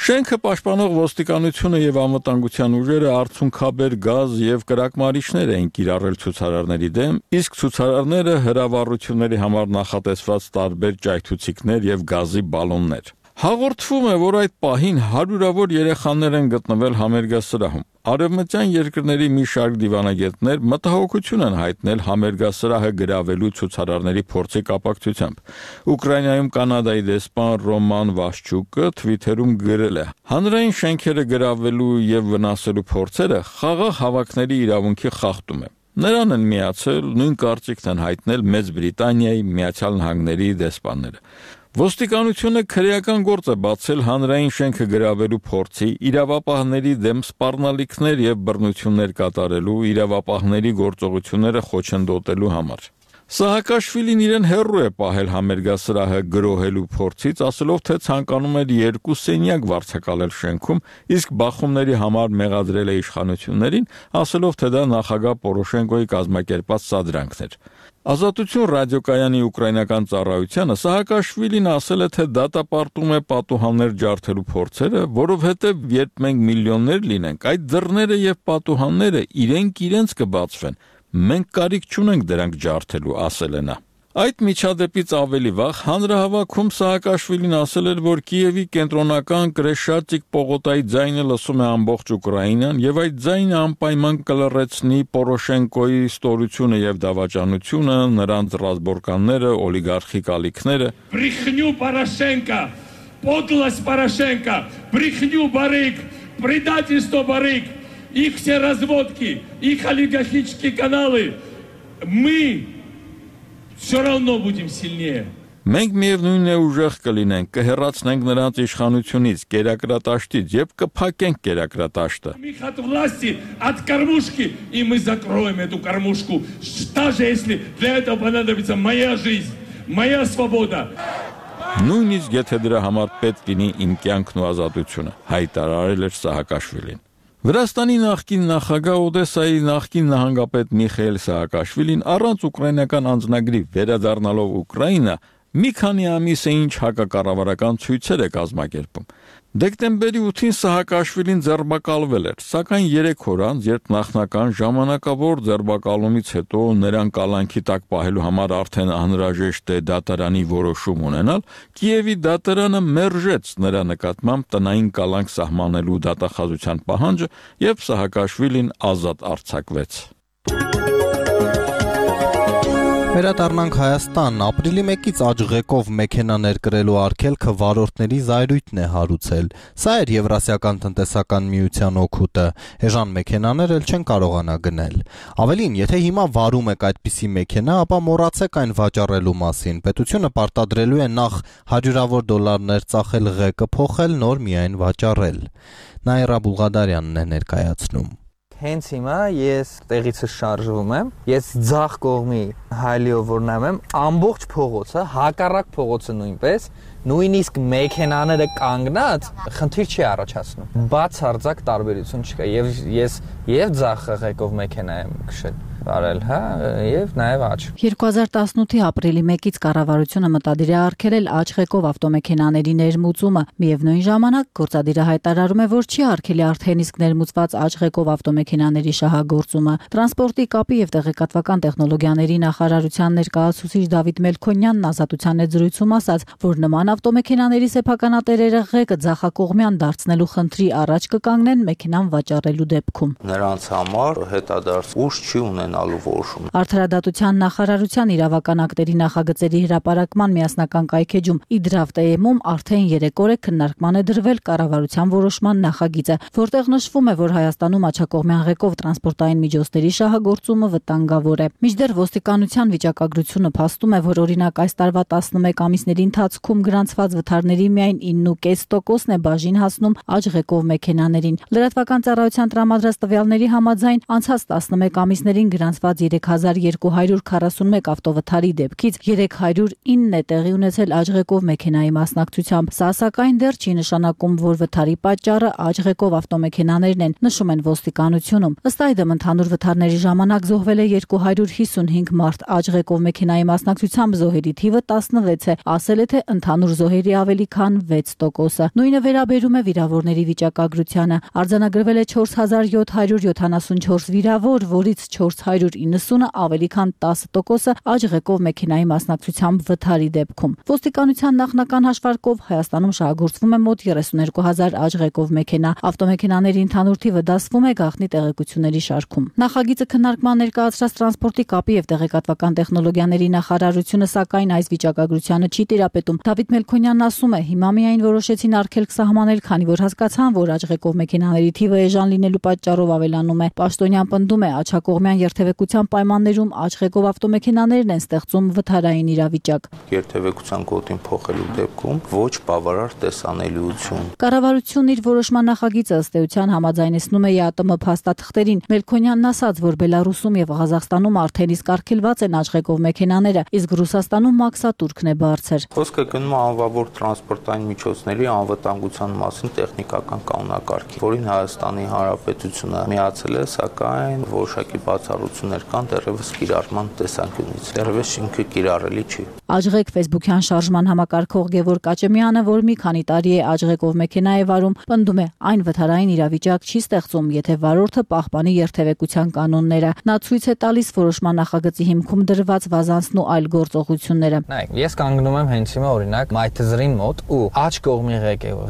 Շենքը պաշտպանող ոստիկանությունը եւ անվտանգության ուժերը արցունքաբեր գազ եւ կրակմարիչներ էին կիրառել ցուցարարների դեմ, իսկ ցուցարարները հրավառությունների համար նախատեսված տարբեր ճայթուցիկներ եւ գազի բալոններ։ Հաղորդվում է, որ այդ պահին հարյուրավոր երեխաներ են գտնվել համերգասրահում։ Արևմտյան երկրների մի շարք դիվանագետներ մտահոգություն են հայտնել համերգասրահը գրավելու ցուցարարների փորձի կապակցությամբ։ Ուկրաինայում Կանադայի դեսպան Ռոման Վաշչուկը Twitter-ում գրել է. «Հանրային շենքերը գրավելու եւ վնասելու փորձերը խաղաղ հավաքների իրավունքի խախտում է»։ Նրան են միացել նույն կարծիքն են հայտնել Մեծ Բրիտանիայի, Միացյալ Նահանգների դեսպանները։ Ոստիկանությունը քրեական գործ է բացել հանրային շենքը գրավելու փորձի, իրավապահների դեմ սպառնալիքներ եւ բռնություններ կատարելու, իրավապահների գործողությունները խոչընդոտելու համար։ Սահակաշվիլին իրեն հեռու է պահել համերգասրահը գրոհելու փորձից, ասելով, թե ցանկանում էր 2 սենյակ վարձակալել շենքում, իսկ բախումների համար մեղադրել է իշխանություններին, ասելով, թե դա նախագահ Պորոշենկոյի կազմակերպած սադրանքն էր։ Ազատություն ռադիոկայանի ուկրաինական ծառայությանը Սահակաշվիլին ասել է, թե դատապարտում է պատուհաններ ջարդելու փորձերը, որովհետև երբ մենք միլիոններ լինենք, այդ դռները եւ պատուհանները իրենք կբացվեն։ Մենք կարիք չունենք դրանք ջարդելու, ասել է նա։ Այդ միջադեպից ավելի վաղ հանրահավաքում Սահակաշվիլին ասել էր, որ Կիևի կենտրոնական Կրեշատիկ պողոտայի ձայնը լսում է ամբողջ Ուկրաինան եւ այդ ձայնը անպայման կլռեցնի Պորոշենկոյի ստորությունը եւ դավաճանությունը, նրանց ռազմորկանները, օլիգարխիկ ալիքները։ Брехню Порошенко, подлость Порошенко, брехню Барык, предательство Барык, их все разводки, их олигархические каналы. Мы все равно будем сильнее. Մենք միևնույն է ուժեղ կլինենք, կհեռացնենք նրանց իշխանությունից, կերակրատաշտից եւ կփակենք կերակրատաշտը։ От власти, от кормушки, и мы закроем эту кормушку, даже если для этого понадобится моя жизнь, моя свобода. Նույնիսկ եթե դրա համար պետք լինի իմ կյանքն ու ազատությունը, հայտարարել էր Սահակաշվիլին։ Վրաստանի նախկին նախագահ Օդեսայի նախկին նահանգապետ Միխայել Սահակաշվիլին առանց ուկրաինական անձնագրի վերադառնալով Ուկրաինա մի քանի ամիս է ինչ հակակառավարական ցույցեր է կազմակերպում։ Դեկտեմբերի 8-ին Սահակաշվիլին ձերբակալվել էր, սակայն 3 օր անց, երբ նախնական ժամանակավոր ձերբակալումից հետո նրան կալանքի տակ պահելու համար արդեն անհրաժեշտ է դատարանի որոշում ունենալ, Կիևի դատարանը մերժեց նրա նկատմամբ տնային կալանք սահմանելու դատախազության պահանջը եւ Սահակաշվիլին ազատ արձակվեց։ Վերադառնանք Հայաստան, ապրիլի 1-ից աճղեկով մեքենա ներկրելու արգելքը վարորդների զայրույթն է հարուցել։ Սա էր Եվրասիական տնտեսական միության օգուտը։ Էժան մեքենաներ էլ չեն կարողանա գնել։ Ավելին, եթե հիմա վարում եք այդպիսի մեքենա, ապա մոռացեք այն վաճառելու մասին։ Պետությունը պարտադրելու է նախ $100-ավոր դոլարներ ծախել ղեկը փոխել, նոր միայն վաճառել։ Նաիրա Բուլղադարյանն է ներկայացնում։ Հենց հիմա ես տեղից շարժվում եմ, ես ձախ կողմի հայլիով որ նայում եմ, ամբողջ փողոցը, հակառակ փողոցը նույնպես, նույնիսկ մեքենաները կանգնած, խնդիր չի առաջացնում։ Բացարձակ տարբերություն չկա, եւ ես ձախ ղեկով մեքենա եմ քշել։ արել, հա, եւ նաեւ աճ։ 2018-ի ապրիլի 1-ից կառավարությունը մտադիր է արգելել աճ ղեկով ավտոմեքենաների ներմուծումը։ Միևնույն ժամանակ գործադիրը հայտարարում է, որ չի արգելի արդեն իսկ ներմուծված աճ ղեկով ավտոմեքենաների շահագործումը։ Տրանսպորտի, կապի եւ տեղեկատվական տեխնոլոգիաների նախարարության ներկայացուցիչ Դավիթ Մելքոնյանն Ազատության զրույցում ասաց, որ նման ավտոմեքենաների սեփականատերերը ղեկը ձախակողմյան դարձնելու խնդրի առաջ կկանգնեն մեքենան վաճառելու դեպքում։ Նրանց համար հետադարձ ուժ չի ունենալու որոշում։ Արդարադատության նախարարության իրավական ակտերի նախագծերի հրապարակման միասնական կայքեջում Իդրավտեեմում արդեն 3 օր է քննարկման է դրվել կառավարության որոշման նախագիծը, որտեղ նշվում է, որ Հայաստանում աչակողմյան ղեկով տրանսպորտային միջոցների շահագործումը վտանգավոր է։ Մինչդեռ ոստիկանության վիճակագրությունը փաստում է, որ օրինակ այս տարվա 11 ամիսների ընթացքում գրանցված վթարների միայն 9.5%-ն է բաժին հասնում աճ ղեկով մեքենաներին։ Լրատվական ծառայության տրամադրած տվյալների համաձայն անցած 11 ամիսներին գրանցված 3241 ավտովթարի դեպքից 309-ն է տեղի ունեցել աճ ղեկով մեքենայի մասնակցությամբ։ Սա սակայն դեռ չի նշանակում, որ վթարի պատճառը աճ ղեկով ավտոմեքենաներն են, նշում են ոստիկանությունում։ Ըստ այդմ ընդհանուր վթարների ժամանակ զոհվել է 255 մարդ, աճ ղեկով մեքենայի մասնակցությամբ զոհերի թիվը 16 է, ասել է թե ընդհանուր զոհերի ավելի քան 6%-ը։ Նույնը վերաբերում է վիրավորների վիճակագրությանը։ Արձանագրվել է 4774 վիրավոր, որից 490-ը ավելի քան 10%-ը աճ ղեկով մեքենայի մասնակցությամբ վթարի դեպքում։ Ոստիկանության նախնական հաշվարկով Հայաստանում շահագործվում է մոտ 32000 աճ ղեկով մեքենա։ Ավտոմեքենաների ընդհանուր թիվը դասվում է գաղտնի տեղեկությունների շարքում։ Նախագիծը քննարկման ներկայացրած տրանսպորտի, կապի եւ տեղեկատվական տեխնոլոգիաների նախարարությունը սակայն այս վիճակագրությանը չի տիրապետում։ Դավիթ Մելքոնյանն ասում է, հիմա միայն որոշեցին արգելք սահմանել, քանի որ հասկացան, որ աճ ղեկով մեքենաների թիվը էժան լինելու պատճառով ավելանում է։ Պաշտոնյան պնդում է, աչակողմյան երթևեկության պայմաններում աճ ղեկով ավտոմեքենաներն են ստեղծում վթարային իրավիճակ։ Երթևեկության գոտին փոխելու դեպքում ոչ բավարար տեսանելիություն։ Կառավարությունն իր որոշման նախագիծը ըստ էության համաձայնեցնում է ԵԱՏՄ փաստաթղթերին։ Մելքոնյանն ասաց, որ Բելարուսում եւ Ղազախստանում արդեն իսկ արգելված են աճ ղեկով մեքենաները, իսկ Ռուսաստանում մաքսատուրքն է բարձր։ Խոսքը գնում է անվավոր տրանսպորտային միջոցների անվտանգության մասին տեխնիկական կանոնակարգի, որին Հայաստանի Հանրապետությունը միացել է, սակայն որոշակի բացառություններ կան դեռևս կիրառման տեսանկյունից։ Դեռևս ինքը կիրառելի չի։ Աճղեկ Facebook-յան շարժման համակարգող Գևորգ Կաճեմյանը, որ մի քանի տարի է աճղեկով մեքենա է վարում, պնդում է, այն վթարային իրավիճակ չի ստեղծում, եթե վարորդը պահպանի երթևեկության կանոնները։ Նա ցույց է տալիս որոշման նախագծի հիմքում դրված վազանցն ու այլ գործողությունները։ Նայեք, ես կանգնում եմ հենց հիմա օրինակ Մայթզրին մոտ ու աճ կողմի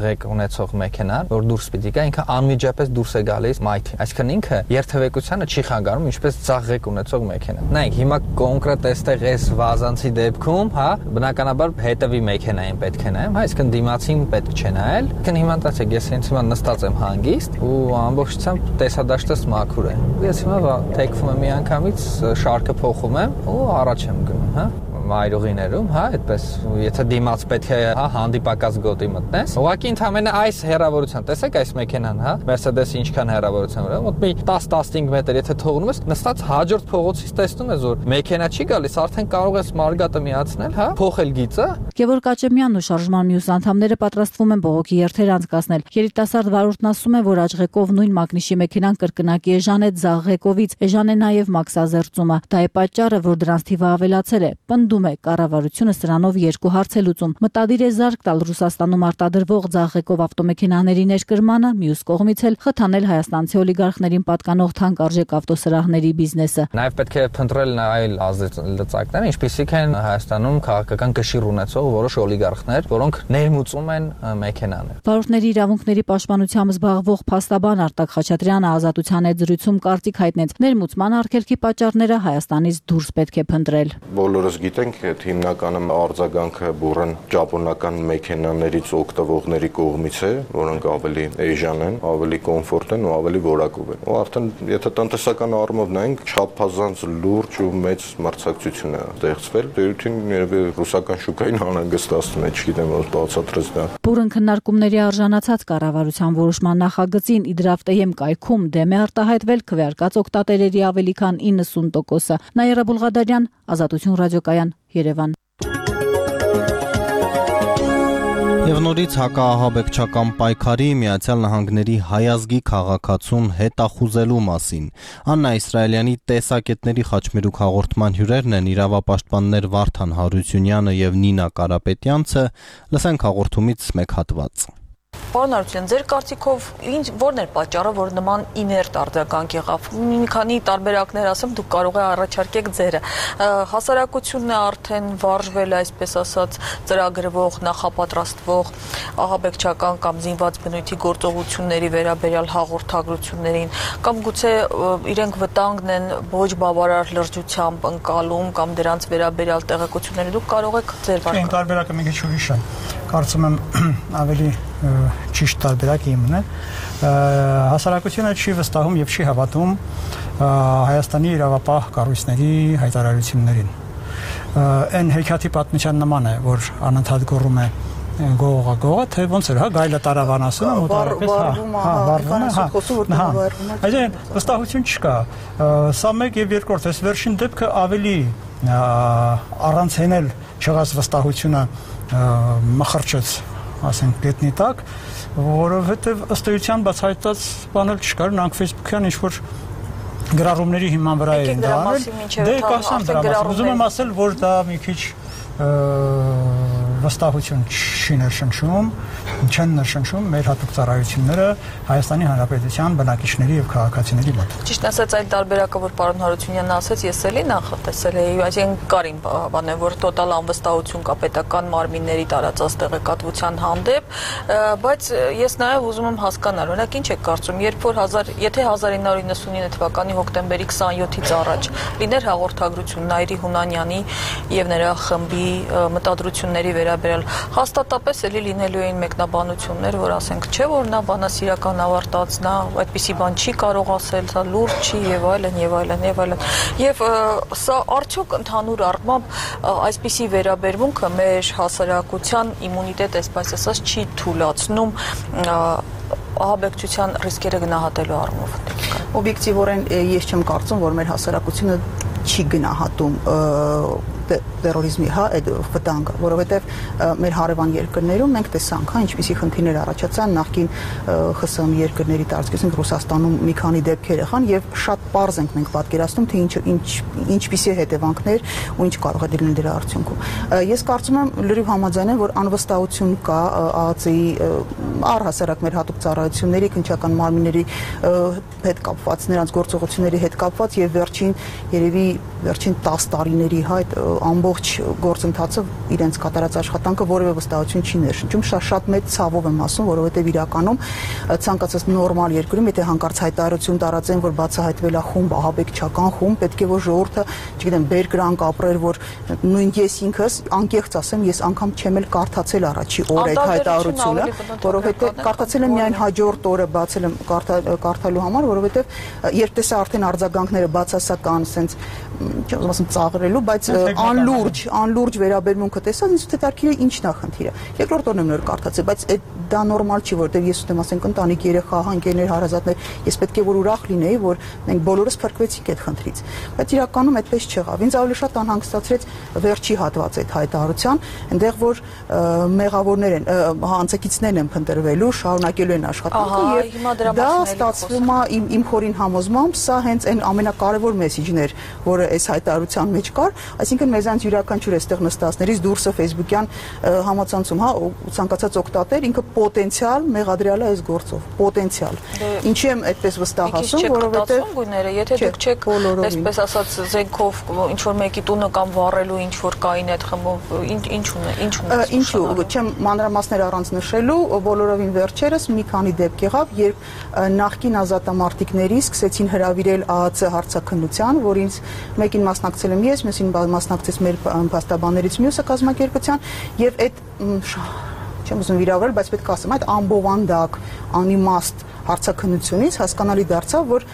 ղեկ ունեցող մեքենան, որ դուրս պիտի գա, ինքը անմիջապես դուրս է գալիս Մայթի։ Այսինքն ինքը երթևեկությանը չի խանգարում, ինչպես ցախ ղեկ ունեցող մեքենան։ Նայեք, հիմա կոնկրետ այստեղ այս վազանցի դեպքում, հա, բնականաբար հետևի մեքենային պետք է նայեմ, հա, այսինքն դիմացին պետք չէ նայել։ Այսինքն հիմա տացեք, ես հենց հիմա նստած եմ հանգիստ ու ամբողջությամբ տեսադաշտս մաքուր է։ Ես հիմա թեքվում եմ միանգամից, շարքը փոխում եմ ու առաջ եմ գնում, հա։ Մայրուղիներում, հա, այդպես, եթե դիմաց պետք է, հա, հանդիպակաց գոտի մտնես։ Ուղղակի ընդհանրապես այս հեռավորության, տեսեք այս մեքենան, հա, Mercedes-ը ինչքան հեռավորության վրա, մոտ մի 10-15 մետր, եթե թողնում ես, նստած հաջորդ փողոցից տեսնում ես, որ մեքենա չի գալիս, արդեն կարող ես մարգատը միացնել, հա, փոխել գիծը։ Գևորգ Կաճեմյանն ու շարժման մյուս անդամները պատրաստվում են բողոքի երթեր անցկացնել։ Երիտասարդ վարորդն ասում է, որ աճղեկով նույն մագնիշի մեքենան կրկնակի էժան է ձախ ղեկովից, էժան է նաև մաքսազերծումը։ Դա է պատճառը, որ դրանց թիվը ավելացել է։ Պնդում է, կառավարությունը սրանով երկու հարց է լուծում։ Մտադիր է զարկ տալ Ռուսաստանում արտադրվող ձախ ղեկով ավտոմեքենաների ներկրմանը, մյուս կողմից էլ խթանել հայաստանցի օլիգարխներին պատկանող թանկարժեք ավտոսրահների բիզնեսը։ Նաև պետք է փնտրել այլ ազդեցություններ, ինչպիսիք են Հայաստանում քաղաքական կշիռ ունեցող որոշ օլիգարխներ, որոնք ներմուծում են մեքենաներ։ Վարորդների իրավունքների պաշտպանությամբ զբաղվող փաստաբան Արտակ Խաչատրյանը Ազատության հետ զրույցում կարծիք հայտնեց. ներմուծման արգելքի պատճառները Հայաստանից դուրս պետք է փնտրել։ Բոլորս գիտենք, այդ հիմնականում արձագանքը բուրըն ճապոնական մեքենաներից օգտվողների կողմից է, որոնք ավելի էժան են, ավելի կոմֆորտ են ու ավելի որակով են։ Ու արդեն եթե տնտեսական առումով նայենք, չափազանց լուրջ ու մեծ մրցակցություն է ստեղծվել։ Դերույթին երևի ռուսական շուկային անհանգստացնում է, չգիտեմ, ոնց բացատրես դա։ Բուրըն քննարկումների արժանացած կառավարության որոշման նախագծին Իդրավտեեմ կայքում դեմ է արտահայտվել քվեարկած օգտատերերի ավելի քան 90%-ը։ Նաիրա Բուլղադարյան, Ազատություն ռադիոկայան, Երևան։ Եվ նորից հակաահաբեկչական պայքարի Միացյալ Նահանգների հայազգի քաղաքացուն հետախուզելու մասին։ Աննա Իսրայելյանի տեսակետների խաչմերուկ հաղորդման հյուրերն են իրավապաշտպաններ Վարդան Հարությունյանը եւ Նինա Կարապետյանցը։ Լսենք հաղորդումից մեկ հատված։ Պարոն Հարությունյան, ձեր կարծիքով որն էր պատճառը, որ նման իներտ արձագանք եղավ։ Մի քանի տարբերակներ ասեմ, դուք կարող եք առաջարկեք ձերը։ Հասարակությունն է արդեն վարժվել, այսպես ասած, ծրագրվող, նախապատրաստվող ահաբեկչական կամ զինված բնույթի գործողությունների վերաբերյալ հաղորդագրություններին, կամ գուցե իրենք վտանգն են ոչ բավարար լրջությամբ ընկալում կամ դրանց վերաբերյալ տեղեկությունները։ Դուք կարող եք ձեր վարկը։ Տարբերակը մի քիչ ուրիշ է։ Կարծում եմ ավելի ճիշտ տարբերակ իմն է, հասարակությունը չի վստահում եւ չի հավատում Հայաստանի իրավապահ կառույցների հայտարարություններին։ Այն հեքիաթի պատմության նման է, որ անընդհատ գոռում է գողը, թե ոնց էր, հա, գայլը տարավան ասում, մոտավորապես, վարվում է, այդեն վստահություն չկա։ Սա մեկ եւ երկրորդ, այս վերջին դեպքը ավելի առանց հենել չեղած վստահությունը մխրճեց, ասենք, գետնի տակ, որովհետև ըստ էության բացահայտած բան էլ չկար, նրանք Facebook-յան ինչ-որ գրառումների հիման վրա էին դա անել, դե կասեմ դրա մասին, ուզում եմ ասել, որ դա մի քիչ վստահություն չի ներշնչում, չեն ներշնչում մեր հատուկ ծառայությունները Հայաստանի Հանրապետության բնակիչների եւ քաղաքացիների մոտ։ Ճիշտ ասած, այդ տարբերակը, որ պարոն Հարությունյանն ասաց, ես էլի նախատեսել էի, այսինքն կարին բան է, որ տոտալ անվստահություն կա պետական մարմինների տարածած տեղեկատվության հանդեպ, բայց ես նաեւ ուզում եմ հասկանալ, օրինակ ինչ եք կարծում, երբ որ եթե 1999 թվականի հոկտեմբերի 27-ից առաջ լիներ հաղորդագրություն Նայիրի Հունանյանի եւ նրա խմբի մտադրությունների վերաբերյալ, հաստատապես էլի լինելու էին մեկնաբանություններ, որ ասենք, չէ, որ նա բանասիրական ավարտած, նա այդպիսի բան չի կարող ասել, սա լուրջ չի եւ այլն եւ այլն եւ այլն։ Եվ սա արդյոք ընդհանուր առմամբ այսպիսի վերաբերմունքը մեր հասարակության իմունիտետ, այսպես ասած, չի թույլատրում ահաբեկչության ռիսկերը գնահատելու առումով։ Օբյեկտիվորեն ես չեմ կարծում, որ մեր հասարակությունը չի գնահատում terrorizmi այդ վտանգը, որովհետև մեր հարևան երկրներում մենք տեսանք, ինչպիսի խնդիրներ առաջացան նախկին ԽՍՀՄ երկրների տարածքից, Ռուսաստանում մի քանի դեպքեր եղան եւ շատ պարզ ենք մենք պատկերացնում, թե ինչպիսի հետևանքներ ու ինչ կարող է դառնալ դրա արդյունքում։ Ես կարծում եմ լրիվ համաձայն եմ, որ անվստահություն կա ԱԱԾ-ի առհասարակ մեր հատուկ ծառայությունների, քննչական մարմինների հետ կապված, նրանց գործողությունների հետ կապված եւ երևի վերջին 10 տարիների այդ ամբողջ գործընթացը իրենց կատարած աշխատանքը որևէ վստահություն չի ներշնչում, շատ մեծ ցավով եմ ասում, որովհետև իրականում ցանկացած նորմալ երկրում, եթե հանկարծ հայտարարություն տարածեն, որ բացահայտվել է խումբ, ահաբեկչական խումբ, պետք է որ ժողովուրդը, չգիտեմ, բերկրանք ապրեր, որ նույն ես ինքս անկեղծ ասեմ, ես անգամ չեմ էլ կարդացել առաջի օր այդ հայտարարությունը, որովհետև կարդացել եմ միայն հաջորդ օրը բացել եմ կարդալու համար, որովհետև երբ տեսա արդեն արձագանքները բացասական, sense չեմ ասում ծաղրելու, բայց անլուրջ վերաբերմունքը տեսած ինձ թեթարքիրը ինչն է խնդիրը։ Երկրորդ օրն եմ նոր կարդացել, բայց դա նորմալ չի, որտեղ ես ուտեմ ասենք ընտանիք, երեխա, ընկերներ, հարազատներ, ես պետք է որ ուրախ լինեի, որ մենք բոլորս փրկվեցինք այդ խնդրից։ Բայց իրականում այդպես չեղավ։ Ինձ ավելի շատ անհանգստացրեց վերջի հատվածը այդ հայտարարության, այնտեղ որ մեղավորներ են, հանցակիցներն են փնտրվելու, շարունակելու են աշխատանքը եւ դա ստացվում է իմ խորին համոզմամբ, սա հենց այն ամենակարևոր մեսեջն էր, որը այս հայտարարության մեջ կար, այսինքն մեզանց յուրաքանչյուր այստեղ նստածներից դուրսը Facebook-յան համացանցում, հա, ցանկացած օգտատեր ինքը պոտենցիալ մեղադրյալ է այս գործով, պոտենցիալ։ Ինչի եմ այդպես վստահ ասում, որովհետև գույները, եթե դուք չեք այսպես ասած զենքով ինչ որ մեկի տունը կամ վառելու ինչ որ կային այդ խմբով, ինչու, չեմ մանրամասներ առանց նշելու, բոլորովին վերջերս մի քանի դեպք եղավ, երբ նախկին ազատամարտիկների սկսեցին հրավիրել ԱԱՑ հարցաքննության, որից մեկին մասնակցել եմ ես, մյուսին մասնակցեց մեր փաստաբաններից մյուսը կազմակերպության, եւ այդ չեմ ուզում վիրավորել, բայց պետք է ասեմ, այդ ամբովանդակ, անիմաստ հարցաքննությունից հասկանալի դարձավ, որ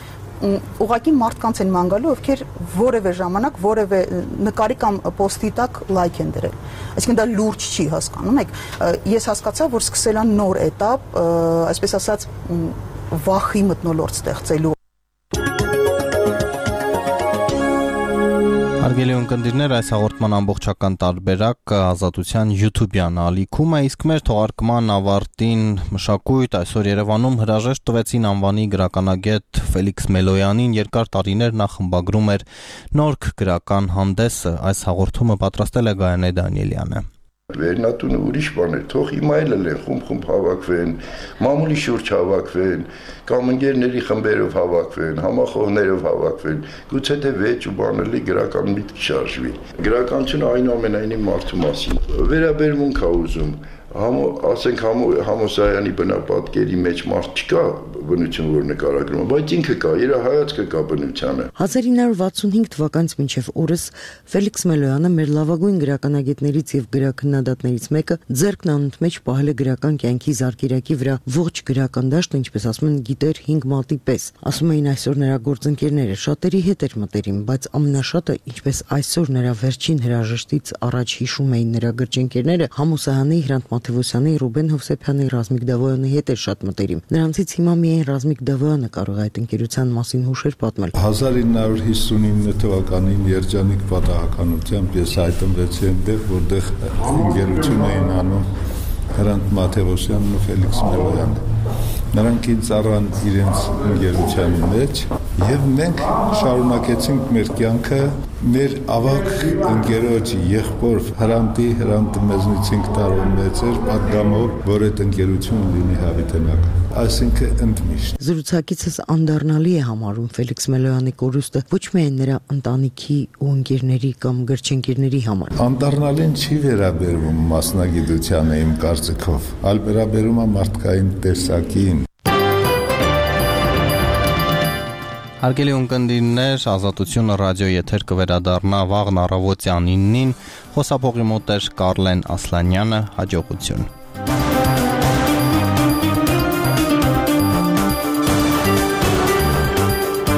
ուղղակի մարդկանց են ման գալու, ովքեր որևէ ժամանակ որևէ նկարի կամ պոստի տակ լայք են դրել։ Այսինքն դա լուրջ չի, հասկանում եք։ Ես հասկացա, որ սկսել է նոր էտապ, այսպես ասած, վախի մթնոլորտ ստեղծելու Հարգելի ունկնդիրներ, այս հաղորդման ամբողջական տարբերակը Ազատության YouTube-յան ալիքում է, իսկ մեր թողարկման ավարտին մշակույթ այսօր Երևանում հրաժեշտ տվեցին անվանի գրականագետ Ֆելիքս Մելոյանին, երկար տարիներ նա խմբագրում էր Նորք գրական հանդեսը։ Այս հաղորդումը պատրաստել է Գայանե Դանիելյանը։ Վերնատունը ուրիշ բան է, թող հիմա էլ են խումբ հավաքվեն, մամուլի շուրջ հավաքվեն, կամ ընկերների խմբերով հավաքվեն, համախոհներով հավաքվեն, գուցե թե վեճ ու բանելի գրական միտք շարժվի։ Գրականությունը այնուամենայնիվ մարդու մասին վերաբերմունք է ուզում, ասենք Համոսայանի բնապատկերի մեջ մարդ չկա բնություն, որ նկարագրում, բայց ինքը կա, իր հայացքը կա բնությանը։ 1965 թվականից մինչև օրս Ֆելիքս Մելոյանը մեր լավագույն գրականագետներից եւ գրաքննադատներից մեկը ձեռքն անունդ մեջ պահել է գրական կյանքի զարկերակի վրա ողջ գրական դաշտը, ինչպես ասում են, գիտեր 5 մատի պես։ Ասում էին այսօր նրա գործընկերները շատերի հետ էր մտերիմ, բայց ամենաշատը, ինչպես այսօր նրա վերջին հրաժեշտից առաջ հիշում էին նրա գրչընկերները, Համոսայանի, Հրանտ Մաթևոսյանի, Ռուբեն Հովսեփյանի, Ռազմիկ Դավոյանի հետ էր շատ մտերիմ։ Նրանցից հիմա միայն Ռազմիկ Դավոյանը կարող է այդ ընկերության մասին հուշեր պատմել։ 1959 թվականին երջանիկ պատահականությամբ ես հայտնվեցի այնտեղ, որտեղ ընկերություն էին անում Հրանտ Մաթևոսյանն ու Ֆելիքս Մելոյանը։ Նրանք ինձ առան իրենց ընկերության մեջ եւ մենք շարունակեցինք մեր կյանքը մեր ավակ ընկերոջ եղբոր Հրանտը մեզնից 5 տարով մեծ էր, պատգամով, որ այդ ընկերությունը լինի հավիտենական, այսինքն ընդմիշտ։ Զրուցակիցս անդառնալի է համարում Ֆելիքս Մելոյանի կորուստը ոչ միայն նրա ընտանիքի ու ընկերների կամ գրչընկերների համար։ Անդառնալին չի վերաբերվում մասնագիտությանը իմ կարծիքով, այլ վերաբերում է մարդկային տեսակին։ Հարգելի ունկնդիրներ, Ազատությունը ռադիո եթեր կվերադառնա վաղն առավոտյան 9-ին, խոսափողի մոտ էր Կարլեն Ասլանյանը, հաջողություն։